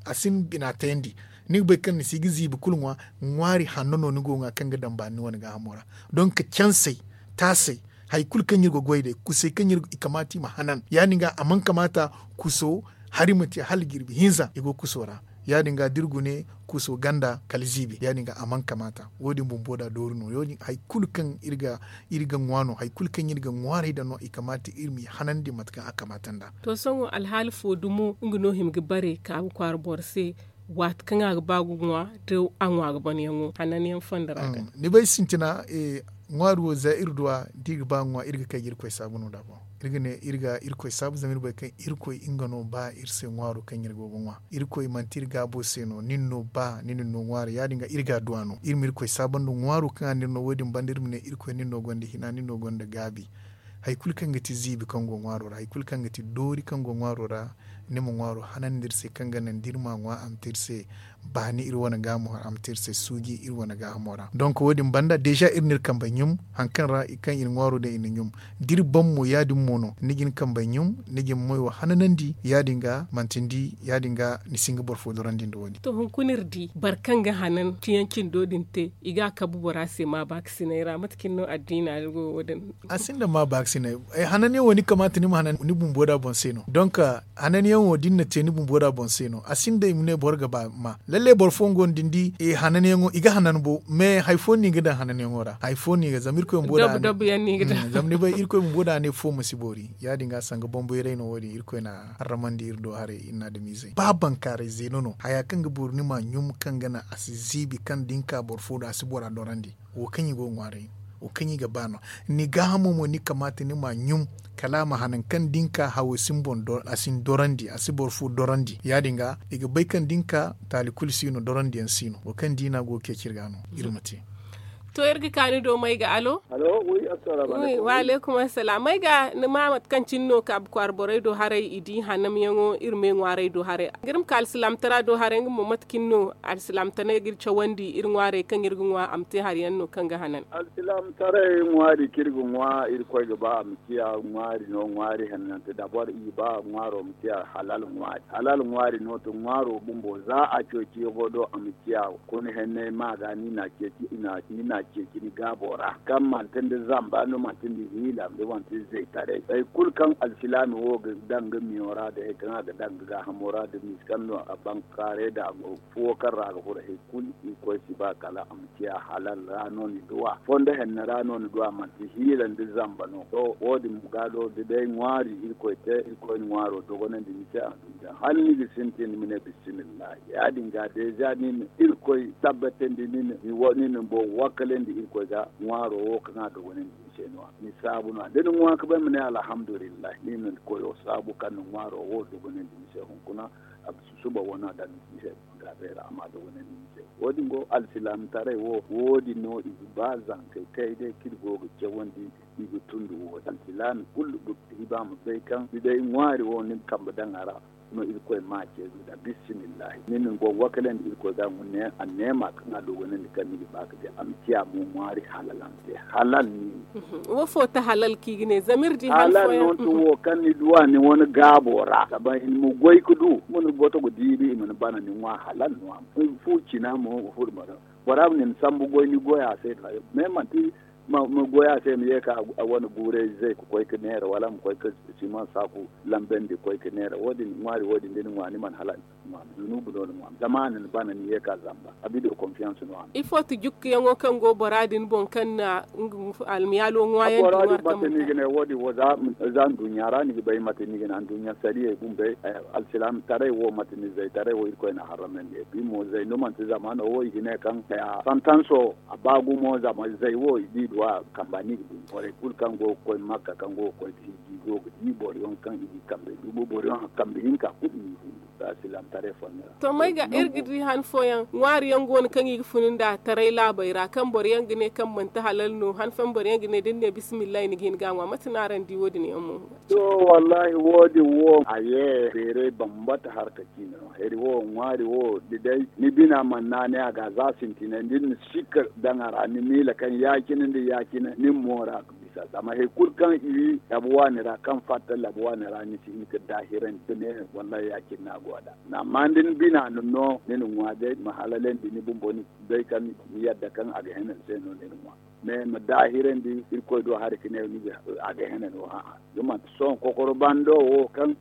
a si ni bina tayandi. Ni ga bay kaŋ ni si ga ziibi kulu ŋwa ŋwaari hanno no ni go ga ŋwa kaŋ ga daŋ baani ni wane gaahamo ra. Donk cansey taasey hari kulu kaŋ iri ga goy day kusey kaŋ iri i kamaata i ma hanan ya- din ga a mana kamaata kuso hari ma te hala jirbi hinza i go kuso ra. Ya- din ga da iri gune kuso ganda kala ziibi ya- din ga a mana kamaata wo- din bumbo da doori no hari kulu kaŋ iri ga ŋwa no hari kulu kaŋ iri ga ŋwaaray daŋ no i kamaata iri m'i hanandi mate kaŋ a kamaata nd'a. To sohõ alhaali fo dumo nga no hima ga bare kaabu kwaara boro se waati kaŋ a ga ba ga ŋwa da a ŋwa ga ban yaŋo hananyaŋ fondo ra ga. Ni bay sintina ŋwaari wo za iri du a da iri ga ba ga ŋwa iri ga kay ga irkoy saabu no nd'a boŋ. Iri ga ne iri ga irkoy saabu zama iri bay kaŋ irkoy nga no ba iri se ŋwaaro kaŋ iri go ga ŋwa. Irkoy manti iri gaabo se no nin no ba nin no ŋwaari ya- din ga iri ga adduwa no iri ma irkoy saabu nda ŋwaaro kaŋ a n'iri no wo- din banda iri ma ne irkoy nin no gonda hina nin no gonda gaabi. Hari kulu kaŋ ga ti ziibi kaŋ go ŋwaaro ra hari kulu kaŋ ga ti doori kaŋ go ŋwaaro ra ni ma ŋwaaro hanandi iri se kaŋ ga naŋ da iri m'a ŋwa a ma te iri se baani iri wane gaahamo ra a ma te iri se suuji iri wane gaahamo ra donk wo- din banda deeza iri n'iri kambey ɲum hari kaŋ ra kaŋ iri ŋwaaro daŋ iri na ɲum. Da iri ban mo ya- din mo no ni ga ni kambey ɲum ni ga ni moyo hananandi ya- din ga manti ni di ya- din ga ni si hin ga boro fo dorandi nda wo- din. To hunkuna iri di boro kaŋ ga hanan ciyaŋ cindo din te i ga a kabu bora se ma baakasinay ra mate kaŋ no addiina ra go wo- din? A sinda ma baakasinay. Hananyaŋ wo ni kamaata ni ma hanan ni bumbo da boŋ se no donk hananyaŋ wo da ni na te ni bumbo da boŋ se no a sinda i ma ne boro ga ba ma lalle boro fooyaŋ go no da ni di hananyaŋo i ga hanan bo mais hari fo no i ga daŋ hananyaŋo ra hari fo no i ga zama irkoy bumbo da a ne fo ma si boori ya- din ga sanga bambayray no wo- din irkoy na harramandi iri do haray iri na adamiizey ba bankaaray zeeno no haya kaŋ ga boori ni m'a ɲum kaŋ ga naŋ a si ziibi kaŋ da ni ka boro fo do a si bora dorandi. Wo kaŋ i go ga ŋwaaray wo kaŋ i ga ba no ni gaahamo mo ni kamaata ni m'a ɲum kala a ma hanan kaŋ da ni ka hawo si ni boŋ a si ni dorandi a si boro fo dorandi ya- din ga i ga bay kaŋ da ni ka taali kulu si no dorandiyaŋ si no wo kaŋ diina go ga ceeci iri ga no iri ma te. To, iri ga ka ni do may ga alo. Wi, assalamu alaikum. Wa alaikum assalam. May ga ni ma mate kaŋ cine no kaabu kwaara borey do haray i di hanamyaŋo iri me ŋwaarey do haray. Iri ma ka alsilaamtara do haray nga mo mate cine no alsilaamtaray ga iri cawandi iri ŋwaarey kaŋ iri ga ŋwa a ma te hari yaŋ no kaŋ ga hanan. Alsilaamtaray ŋwaari kaŋ iri ga ŋwa irkoy ga ba a ma ciya ŋwaari no ŋwaari hannante dabor i ba ŋwaaro ma ciya halal ŋwaari halal ŋwaari no to ŋwaaro bumbo za a ceeci yago do a ma ciya kuna henney ma ga ni na ceeci ni na ceeci ni gaabo ra kaŋ manti nda zamba nda manti nda hiila nda manti zaytaray hari kulu kaŋ alsilaami wo ga daŋ ga miyo ra nda hari kaŋ a ga daŋ ga gaahamo ra nda miisi kaŋ no a bankaaray nda a go fuwo kaŋ ra a ga furo hari kulu irkoy si ba kala a ma ciya halal ra no ni duwa fondo henne ra no ni duwa manti hiila nda zamba no to wo- din mo ga do da day ŋwaari irkoy te irkoy na ŋwaaro dogonandi ni se a ma du ni se hala ni ga sintin ni ma ne bisimillahi ya- din ga deeza ni na irkoy tabbatandi ni na ni wo- ni na ni boŋ wakkalandi irkoy ga ŋwaaro wo kaŋ a dogonandi ni se no- ya ni saabu no- ya da ni ŋwa ka bay ma ne alhamdulillahi ni na ni koyo saabu kaŋ na ŋwaaro wo dogonandi ni se hunkuna a bisa suba wane a daŋ ni se gaabey ra a ma dogonandi ni se wo- din go alsilaamataray wo wo- din no i ga ba zankey kay day kaŋ iri go ga cawandi i ga tundu wo- din alsilaami kulu ga hiba ma bay kaŋ ni day ŋwaari wo ni ga kambe daŋ a ra no irkoy ma ce ga da bisimillahi ni na ni go wakkalandi irkoy ga a neema kaŋ a dogonandi kaŋ ni ga ba ga di a ma ciya mo ŋwaari halal a ma te halal ni wo fo ta halal kaŋ i ga ne zama iri di halal no to wo kaŋ ni duwa ni wane gaabo ra zama i ma goy ga du ma ni goto ga diibi i ma ni bana ni ŋwa halal no a ma fu cina mo ga furo bora ma ni ma sambu goy ni goy a se da me manti ma goy a se ma ye ka a wane guuray zay ga koy ga neera wala ma koy ga siman saaku lambandi ga koy ga neera wo- din ŋwaari wo- din da ni ŋwa ni mana halal ni ŋwa zunubu no ni ŋwa zama a na ni bana ni ye ka zamba a bido konfiyanse no a ma ifo ti jukkuyaŋo kaŋ go bora din boŋ kaŋ na almiyaalo ŋwaayaŋ bora din mate ni ga ne wo- din wo za nduɲɲa ra ni ga bay mate ni ga ne anduɲɲa sariyey bumbey alsilaamataray wo mate ni zaytaray wo irkoy na harramandi bi mo zay no manti zamaano wo i ga ne kaŋ santanso a ba gumo zama zay wo i di duwa kamba ni ga du borey kulu kaŋ go ga koy makka kaŋ go ga koy ga hiji go ga di boro yaŋ kaŋ i ga kambey dumo boro yaŋ kambe hinka kulu i ga du za silaamataray fonda ra to may ga iri ga di han fooyaŋ ŋwaari yaŋ go no kaŋ i ga funu nda taray laabey ra kaŋ boro yaŋ ga ne kaŋ manti halal no han fooyaŋ boro yaŋ ga ne da ni ne bisimillahi ni ga hin ga a ŋwa mate no araŋ di wo- din yaŋ mo to wallahi wo- din wo a ye beeray bambata harka ciine no hari wo ŋwaari wo da day ni bina mana naanay a ga za sintinay da ni na sikka daŋ a ra ni miila kaŋ ya- cine nda ya- cine ni ma mo ra ga bisa zama hari kulu kaŋ i wi tabu waani ra kaŋ fatta labu waani ra ni si hin ga daahirandi ga ne wallahi ya- cine no a go a da amma da ni bina na no ni na ŋwa day ma halalandi ni bumbo ni bay kaŋ ni yadda kaŋ a ga hene ni se no ni na ŋwa mais ma daahirandi irkoy do hari ga ne a ga hene no a'a da manti sohõ kokoro bando wo kaŋ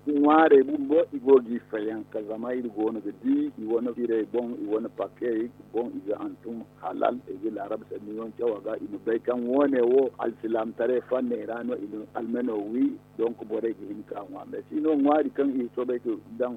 ŋwaarey bumbo i go g'i fayanka zama iri goono ga di i wane firey boŋ i wane pakkey boŋ i ga hantum halal i ga laarab sanniyaŋ caw a ga i ma bay kaŋ woone wo alsilaamataray fanney ra no i na almeno wi donk borey ga hin ka ŋwa mais si no ŋwaari kaŋ i soobay ga daŋ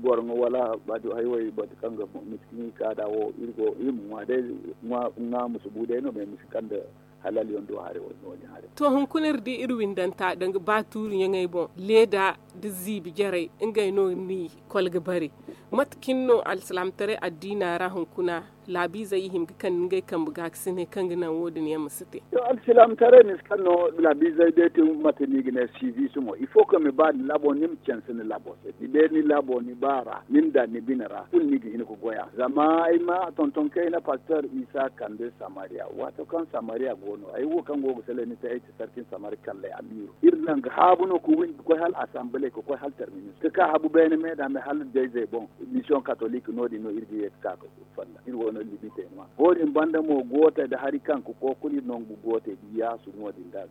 boro ŋwa wala haywey batu kaŋ ga miskin i ka da wo iri go iri ma ŋwa day ŋwa ma si bu day no mais ma si kande halal yaŋ do haray wala no- din haray to hunkuna iri di iri windanta danga ba tuuri ɲaŋey boŋ leeda da ziibi jarey ngey no ni kol ga bare mate cine no alsilaamataray addiina ra hunkuna laabiizey i hima ga kande ngey kambe ga ga si ne kaŋ ga naŋ wo- din yaŋ ma si te to alsilaamataray ma si kaŋ no laabiizey day te mate no i ga ne siviisi mo il faut que ma ba ni labo ni ma canse ni labo se ni day ni labo ni ba ra ni ma daŋ ni bine ra kulu ni ga hin ga goy a zama ay ma tonton kayna pastor isa kande samariya waato kaŋ samariya go no ay wo kaŋ go ga salay ni se ay ti sarkin samari kalley amiiro iri naŋ ga haabu no ga windi ga koy hala asamble ga koy hala terminus ga ka habu beene me da me hala dayzey boŋ mission catholique no- din no iri ga ye ga ka ga falla iri wo no limite no wo- din banda mo gootey da hari kaŋ ga kookuna iri nangu gootey da yaasu no- din da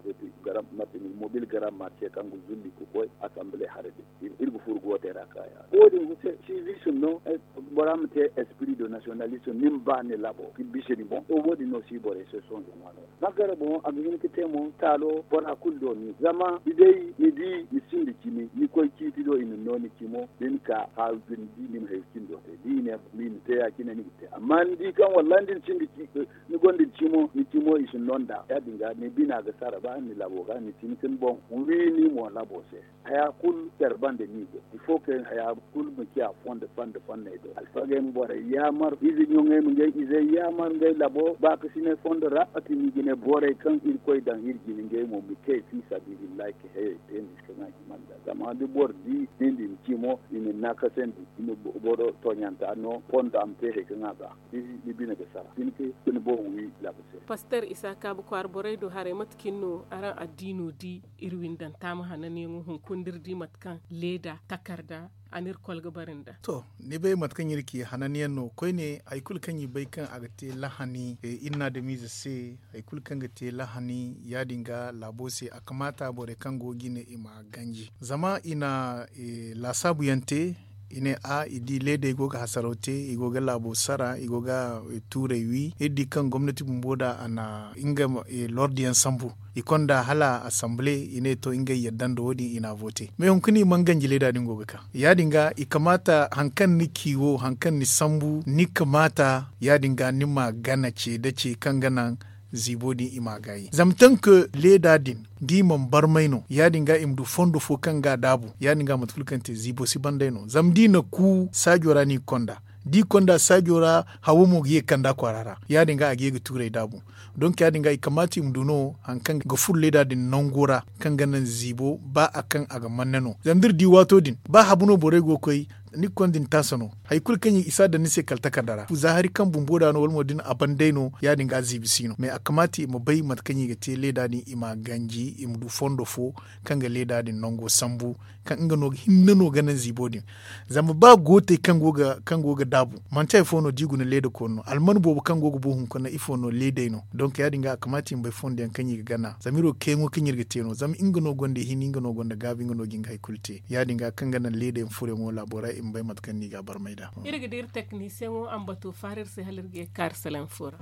mate ni mobil grand marché kaŋ ga zulli ga koy asamble haray din iri ga furo gootey ra ka ya wo- din ga se sivisim no bora ma te esprit de nationalisme ni ma ba ni labo ga bisa ni boŋ to wo- din no si borey se sohõ ga ŋwa no ra magara boŋ a ga hin ga te mo taalo bora kulu do ni zama ni day ni di ni sinda cimi ni koy ciiti do i na no ni cimo da ni ka haaru da ni di ni ma hayey cindo te da i ne ma i ma te ya- cine ni ga te amma ni di kaŋ wallahi da ni sinda gonda ni cimo ni cimo i si no nd'a ya- din ga ni bina ga sara ba ni labo ga ni tin kin boŋ. Wi ni mo labo se haya kulu care banda ni ga il faut que haya kulu ma ciya fondo fanda fanney do alfagey ma borey yaamar ize ɲoŋey ma ngey izey yaamar ngey labo baakasinay fondo ra a ti ni ga ne borey kaŋ irkoy daŋ iri jine ngey mo ma te fi sabilillahi ka heyey te ni si kaŋ a ga manda zama da boro di ni din cimo i ma ni naakasandi i ma boro tooɲanta no fondo a ma te hari kaŋ a ga ni bine ga sara ni ma te ni boŋ wi labo se. Paster isa kaabu kwaara borey do haray mate kaŋ iri no araŋ addiino di iri windanta ma hananyaŋo hunkuna da iri di mate kaŋ leeda takarda a na iri kolga bare nda. To, ni bay mate kaŋ iri ci hananyaŋ no koyne hari kulu kaŋ i bay kaŋ a ga te lahani iri na adamiize se hari kulu kaŋ ga te lahani ya- din ga laabo se a kamaata borey kaŋ go ga i ne i ma ganji zama i na laasaabu yaŋ te. I ne a i di leedey go ga hasaraw te i go ga laabo sara i go ga tuurey wi iri di kaŋ gomnati bumbo da a na nga lordiyaŋ sambu i konda hala assemblee i ne to ngey yadda nda wo- din i na a vote mais hunkuna i mana ganji leeda din go ga ka ya- din ga i kamaata hari kaŋ ni ci wo hari kaŋ ni sambu ni kamaata ya- din ga ni ma gana ce nda ce kaŋ ga naŋ ziibo din i ma a gaayi zama tank leeda din da i mana barmay no ya- din ga i ma du fondo fo kaŋ ga a daabu ya- din ga mate kulu kaŋ te ziibo si ban day no zama da i na ku saajo ra no i ga konda da i konda saajo ra hawo mo ga ye ga kanda kwaara ra ya- din ga a ga ye ga tuurey daabu donk ya- din ga i kamaata i ma du no hari kaŋ ga furo leeda din nango ra kaŋ ga naŋ ziibo ba a kaŋ a ga manne no zama da iri di waato din ba habu no borey go ga koy ni ga konda ni taasa no hari kulu kaŋ i si a daŋ ni se kala takarda ra za hari kaŋ bumbo da no wala mo da ni a ban day no ya- din ga a ziibi si no mais a kamaata i ma bay mate kaŋ i ga te leeda din i ma a ganji i ma du fondo fo kaŋ ga leeda din nango sambu kaŋ nga no ga hinne no ga naŋ ziibo din zama ba gootey kaŋ go ga daabu manti hari fo no da i guna leeda koonu no alman boobo kaŋ go ga bu hunkuna ifo no leedey no donk ya- din ga a kamaata i ma bay fondo yaŋ kaŋ i ga gana zama iri wo kayyaŋo kaŋ iri ga te no zama nga no gonda hini nga no gonda gaabi nga no ga nga hari kulu te ya- din ga kaŋ ga naŋ leedey ma furo yaŋo laabo ra i ma bay mate kaŋ no i ga a barmay nd'a. Iri ga di iri teknisiyeŋo a ma bato faara iri se hala iri ga ye ga kaari salaŋ fo ra.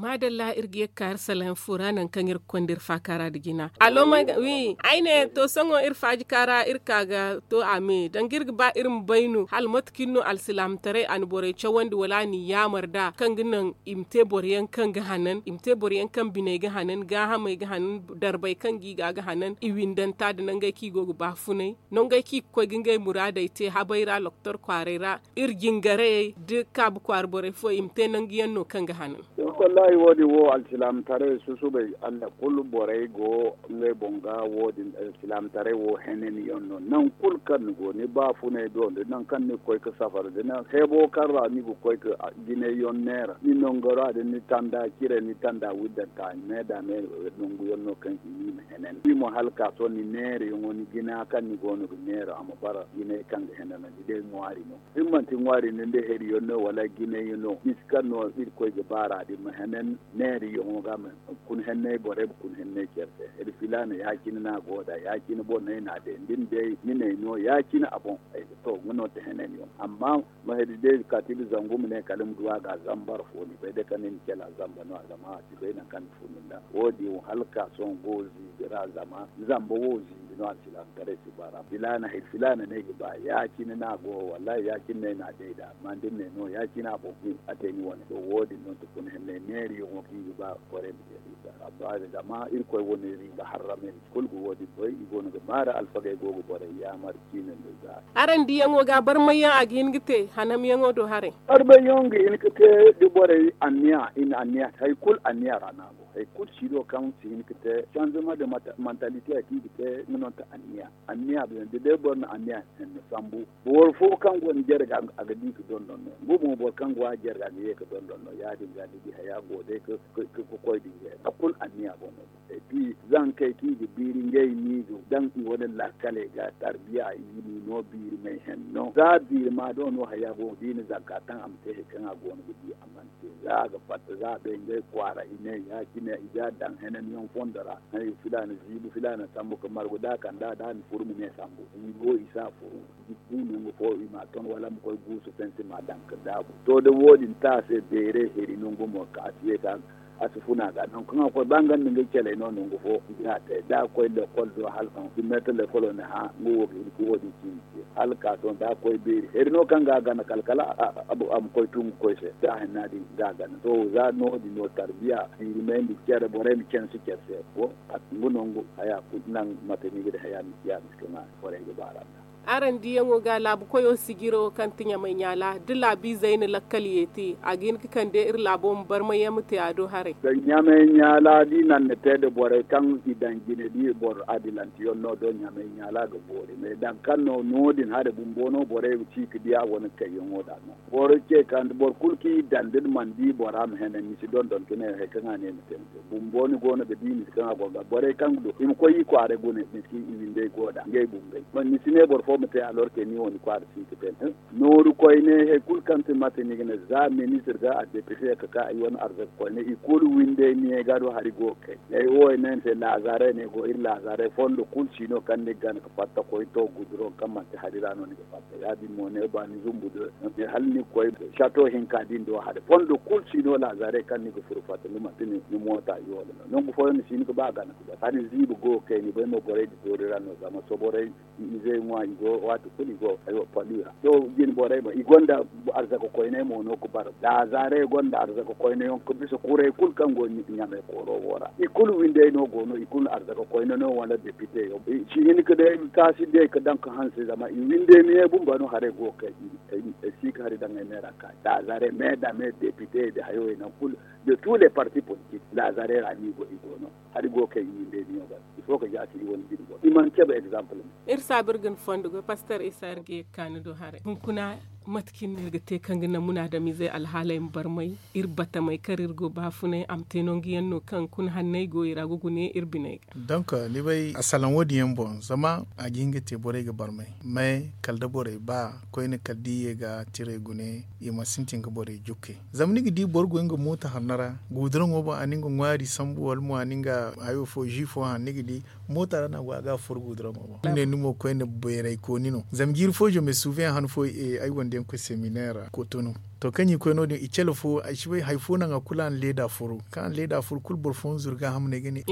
Maadalla iri ga ye ga kaari salaŋ fo ra nangu kaŋ iri ga konda iri faakaara nda jina allo wi ay ne to sohõ iri faaji kaara iri ka ga to a me danga iri ga ba iri ma bay no hala mate kaŋ iri no alsilaamataray a na borey cawandi wala a n'i yaamar nd'a kaŋ ga naŋ i ma te boro yaŋ kaŋ ga hanan i ma te boro yaŋ kaŋ biney ga hanan gaahamey ga hanan darbey kaŋ ga i ga ga hanan i windanta nda nangey kaŋ i go ga baafunay nangey kaŋ i ga koy ga ngey muraadey te habey ra doktor kwaaray ra iri jingarayey da kaabu kwaara borey fooyaŋ i ma te nangu yaŋ no kaŋ ga hanan. Wallaahi wo- din wo alsilaamataray susubay allah kulu borey go ngey boŋ ga wo- din alsilaamataray wo henanyaŋ no nangu kulu kaŋ ni go ni baafunay do nda nangu kaŋ ni ga koy ga safar da heebo kaŋ ra ni ga koy ga jinayyaŋ neera ni nangora da ni tanda cire ni tanda widdanta me da me nanguyaŋ no kaŋ i ma i ma henan i mo hala ga ka sohõ ni neerayaŋo ni jina kaŋ ni go no ga neera a ma bara jinay kaŋ ga henanandi day ŋwaari no da ni manti ŋwaari no ni day heriyaŋ no wala jinayyaŋ no ni si kaŋ no irkoy ga baara din ma henan neerayaŋo ga ma kun henney borey ma kun henney care se iri filaana ya- cine no a go nd'a ya- cine boŋ no ay n'a day da ni day ni n'ay no ya- cine a boŋ to nga no ti henanyaŋ amma ma hedi day kaati nda zangu ma ne kala ma du a ga zambar fo ni bay day kaŋ ni na cala zamba no a zama a si bay nangu kaŋ ni funu nd'a wo- din wo hala ga ka sohõ go ziibi ra zama zamba wo ziibi no alsilaamataray si ba ra filaana hari filaana no ay ga ba ya- cine no a go wallaahi ya- cine no ay n'a day nd'a amma da ni n'ay no ya- cine a boŋ a te ni wane to wo- din no ti kuna henney neerayaŋo kaŋ i ga ba kwaray ma te zama irkoy wane iri ga harramay mate kulu ga wo- din bay i go no ga maari alfagey go ga borey yaamar ciine nda za. Araŋ diyaŋo ga barmayyaŋ a ga hin ga te hanamyaŋo do haray. Barmayyaŋo ga hin ga te da borey anniya i na anniya hari kulu anniya ra no a go hari kulu siino kaŋ si hin ga te sanzama nda mantalite ya kaŋ i ga te nga no ti anniya anniya da day boro na anniya hanno sambu boro fo kaŋ go ni jarga a ga di ga dondon no nga boŋ boro kaŋ go a jarga a ga ye ga dondon no ya- din ga ni di haya go day ga koy da ngey ra a kulu anniya boŋ no. Et puis zankey kaŋ i ga biiri ngey no i ga daŋ i wane laakaley ga tarbiya i ga ni no biiri may henno za biiri ma do no haya go da i na zanka taŋ a ma te hari kaŋ a go no ga di a mana te za a ga fatta za a bay ngey kwaara i ne ya- cine i ga a daŋ henanyaŋ fondo ra hari filaana ziibi filaana sambu ga margu da a kand'a da a na furu ma ne sambu i go i si a furu. Guusu nangu fo i m'a ton wala ma koy guusu fensi m'a daŋ ga daabu to da wo- din te a se beeray heri nangu mo ka a si ye ka a si funa ga nangu kaŋ a koy ba nga nda nga caley no nangu fo. Nga te da a koy lekol do hala kaŋ si mette lekolo ne hã nga wo ga hin ka wo- din cindi te hala ka sohõ da a koy beeri hari no kaŋ ga a gana kala kala a ma koy tungu koy se da a hinna din ga a gana to za no- din no tarbiya. Ziiri may nda care borey ma canse care se. Wo a tungu nangu haya kulu naŋ mate ni ga di haya ma si ya ma si kaŋ a borey ga baara nda. Araŋ diyaŋo ga laabu koyo sijiro kaŋ ti ɲamay ɲaala da laabiizey na lakkal yeeti a ga hin ga kande iri laabo ma barmay yaŋ ma te a do haray. Ɲamay ɲaala da i naŋ na te nda borey kaŋ i daŋ jine da i boro adilanteyaŋ no do ɲamay ɲaala ga boori me daŋ kaŋ no no- din hare bumbo no borey ga ci ga di a wane kayyaŋo da no. Boro ce kaŋ boro kulu kaŋ i daŋ da ni mana di bora ma hene ni si dondon ka ne hari kaŋ a ne ma te ni se bumbo ni go no ga di ni si kaŋ a go ga borey kaŋ ga du i ma koy i kwaara gune ni si i windey go da ngey bumbey ni si ne boro fo ma te alorke ni wo ni kwaara si ga te. Nooru koyne hari kulu kaŋ ti mate ni ga ne za ministir ga a depite ka ka i wane arzaka koyne i kulu windey ni ga do hari go ga kay. Ay wo ay ne ni se laazaarey no ay go iri laazaarey fondo kulu si no kaŋ ni ga gana ga fatta koy to guduro kaŋ manti hari ra no ni ga fatta ya- din mo ne ba ni zumbu do hala ni ga koy sato hinka din do hari fondo kulu si no laazaarey kaŋ ni ga furo fatta ni manti ni moota i wala no nangu fooyaŋ ni si hin ga ba gana ga ba hari ziibi go ga kay ni bay mo borey di toori ra no zama soborey i izey ŋwa i go waati kulu i go ga hayo pali ra to jine borey mo i gonda arzaka koyney mo no ga bara laazaarey gonda arzaka koynayaŋ ga bisa kuray kulu kaŋ go ɲamay kooro wo ra i kulu windey no go no i kulu arzaka koyne no wala depite yaŋ si hin ga day taasi day ga daŋ ga hanse zama i windey miye bumba no haray go ga kay ay si ga hari daŋ ay me ra ka laazaarey me da me depite da hayo yaŋ kulu de tous les partis politiques laazaarey ra no i go i go no hari go ga kay i windey miyo ga il faut ga jaati i wane jine boro i mana cabe exemple. Iri saabu iri ga ni fondo goy paster isa iri ga ye ga ka ni do haray hunkuna mate kaŋ iri ga te kaŋ ga naŋ munaadamizey alhaaley ma barmay iri batamey kaŋ iri go baafunay a ma te nangu yaŋ no kaŋ hunkuna hanney go i ra ga gune iri biney ga. Donc ni bay a salaŋ wo- din yaŋ boŋ zama a ga hin ga te borey ga barmay mais kala da borey ba koyne kala da i ye ga tiray gune i ma sintin ga borey jukke zama ni ga di boro go nga mooto hanno ra guuduraŋo boŋ a na nga ŋwaari sambu wala mo a na nga hayo fo ji fo haŋ ni ga di mooto ra no a go a ga a furo guuduraŋo boŋ ni ne ni mo koyne bayray kooni no zama jiiri fo je me suufe yaŋ han fo ay wande yaŋ koy seminaire ra kotonu to kaŋ i koy no- din i cale fo ay si bay hari fo naŋ a kulu a na leeda furo kaŋ a na leeda furo kulu boro fooyaŋ zuru gaaham no ay ga ne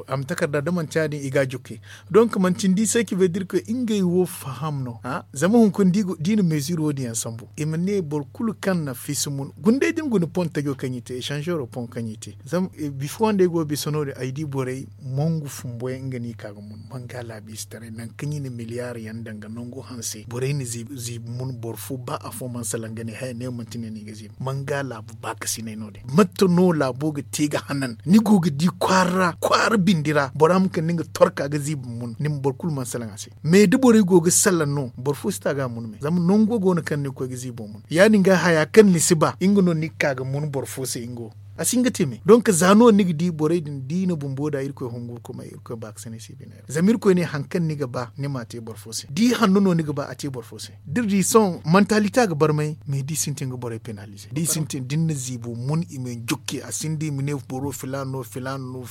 a ma takarda da manti ya- din i ga a jukke donc manti ni di se ci bay da iri koy ngey wo faham no zama hunkuna da i na meezir wo- din yaŋ sambu i ma ne boro kulu kaŋ na fiisa mun guna day da ni guna pon tajo kaŋ i te esanzeero pon kaŋ i te zama bifo wande ay go ga bisa no- din ay di borey mongu fumbo yaŋ nga no i ka ga mun manga laabiize taray nangu kaŋ i na miliyaari yaŋ daŋ ga nangu hanse borey na ziibi mun boro fo ba afo mana salaŋ ga ne haya ne manti ne no i ga ziibi manga laabu baakasinay no- din mate no laabo ga te ga hanan ni go ga di kwaara ra kwaara bindi ra bora ma kande nga torka ga ziibi mun ni ma boro kulu mana salaŋ a se mais da borey go ga salaŋ no boro fo si ta ga a mun me zama nango go no kaŋ ni ga koy ga ziibo mun ya- din ga haya kaŋ ni si ba nga no ni ga ka ga mun boro fo se nga wo a si hin ga te me donc za no ni ga di borey din da i na bumbo da irkoy hungu ga kumay irkoy baakasinay si bine ra zama irkoy ne hari kaŋ ni ga ba ni m'a te boro fo se da i hanno no ni ga ba a te boro fo se da iri di sohõ mantalite a ga barmay mais da i sintin ga borey penalize da i sintin da ni na ziibo mun i ma ni jukke a sinda i ma ne boro filaana no filaana no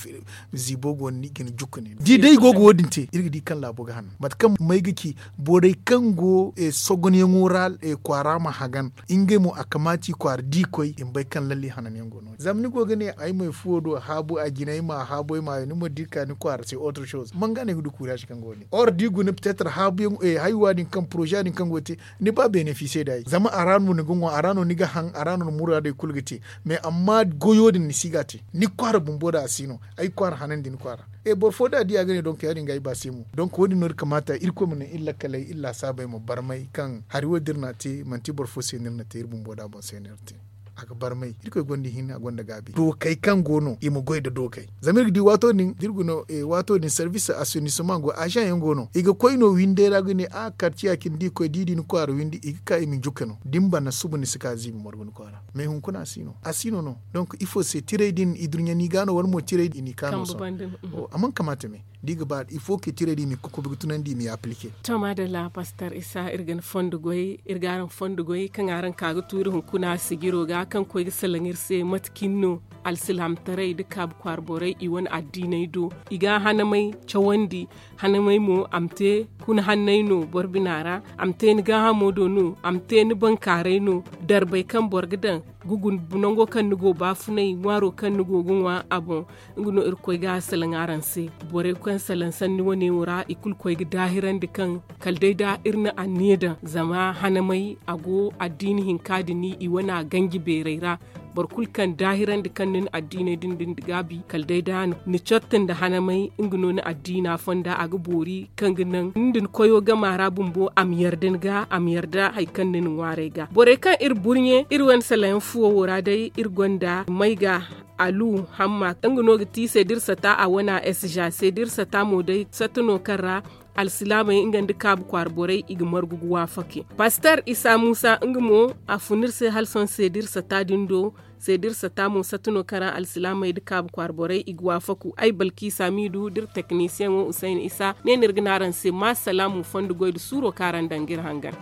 ziibo go no ni ga ni jukka ne da day i go ga wo- din te iri ga di kaŋ laabo ga hanan mate kaŋ may ga ci borey kaŋ go sogonyaŋo ra kwaara ma hagan ngey mo a kamaati kwaara da i koy i ma bay kaŋ lalle hananyaŋ go no- din zama ni go ga ne ay ma ay fuwo do haabu a jine ay ma a haabu ay ma hayo ni ma di ka ni kwaara se autre chose manga no ay ga du kuuraasi kaŋ go no- din or da i guna petetre haabuyaŋ haywa din kaŋ poroza din kaŋ go ga te ni ba benefise da ay zama a ra no ni ga ŋwa a ra no ni ga haŋ a ra no ni muraadey kulu ga te mais amma goyo din ni si ga a te ni kwaara bumbo da a si no ay kwaara hanandi ni kwaara e boro fo da a di a ga ne donk ya- din ga ay ba se mo donk wo- din no iri kamaata irkoy ma naŋ iri lakkaley iri laasaabey ma barmay kaŋ hari wo da iri n'a te manti boro fo se no iri na te iri bumbo da boŋ se no iri te a ga barmay irkoy gonda ihinne a gonda gaabi dookey kaŋ go no i ma goy nda dookey zama iri ga di waato din da iri guna waato din service assainissement go azaŋ yaŋ go no i ga koy no windey ra ga ne a karciya cine da i koy da i di ni kwaara windi i ga ka i ma ni jukka no da ni bana suba ni si ka ziibi margu ni kwaara mais hunkuna a si no a si no no donc ifo se tiray din idurɲani ga no wala mo tiray din i ka no sohõ a mana kamaata me da i ga ba ifo ke tiray din i ma kokobi ga tunandi i ma i aplike. To maadalla pastor isa iri ga ni fondo goy iri ga araŋ fondo goy kaŋ araŋ ka ga tuuri hunkuna sijiro ga kaŋ koy ga salaŋ iri se mate cine no alsilaamtaray nda kaabu kwaara borey i wane addiiney do. I ga hanamay cawandi. Hanamay mo a ma te kuna hanney no boro bina ra. A ma te ni gaahamo do no. A ma te ni bankaaray no. Darbey kaŋ boro ga daŋ gugu nango kaŋ ni go baafunay ŋwaaro kaŋ ni go ga ŋwa a boŋ. Nga no irkoy ga a salaŋ araŋ se. Borey kaŋ salaŋ sanni wane wo ra i kulu koy ga daahirandi kaŋ kala day da iri na anniya daŋ zama hanamay a go addiini hinka din i wane a ganji beerey ra. Boro kulu kaŋ daahirandi kaŋ ni na addiiney din din gaabi kala day da ni cotta nda hanamay nga no ni addiina fonda a ga boori kaŋ ga naŋ ni nda ni koyo gama ra bumbo a ma yarda ni ga a ma yarda hari kaŋ ni na ŋwaaray ga borey kaŋ iri burɲe iri wane salayaŋ fuwo wo ra day iri gonda may ga alu hamma nga no ga ti seedir sata a wane a s ja seedir sata mo day satta no kaŋ ra alsilaamey nga nda kaabu kwaara borey i ga margu ga waafake. Pastor isa muusa nga mo a fun iri se hala sohõ seedir sata din do. Seedir sata mo satta no kaŋ ra alsilaamey nda kaabu kwaara borey i ga waafaku ay balkiisa miidu da iri teknisiyeŋo husayna isa ne no iri ga ne araŋ se ma salaamu fondo goy nda suuro kaŋ araŋ daŋ ga iri hangan.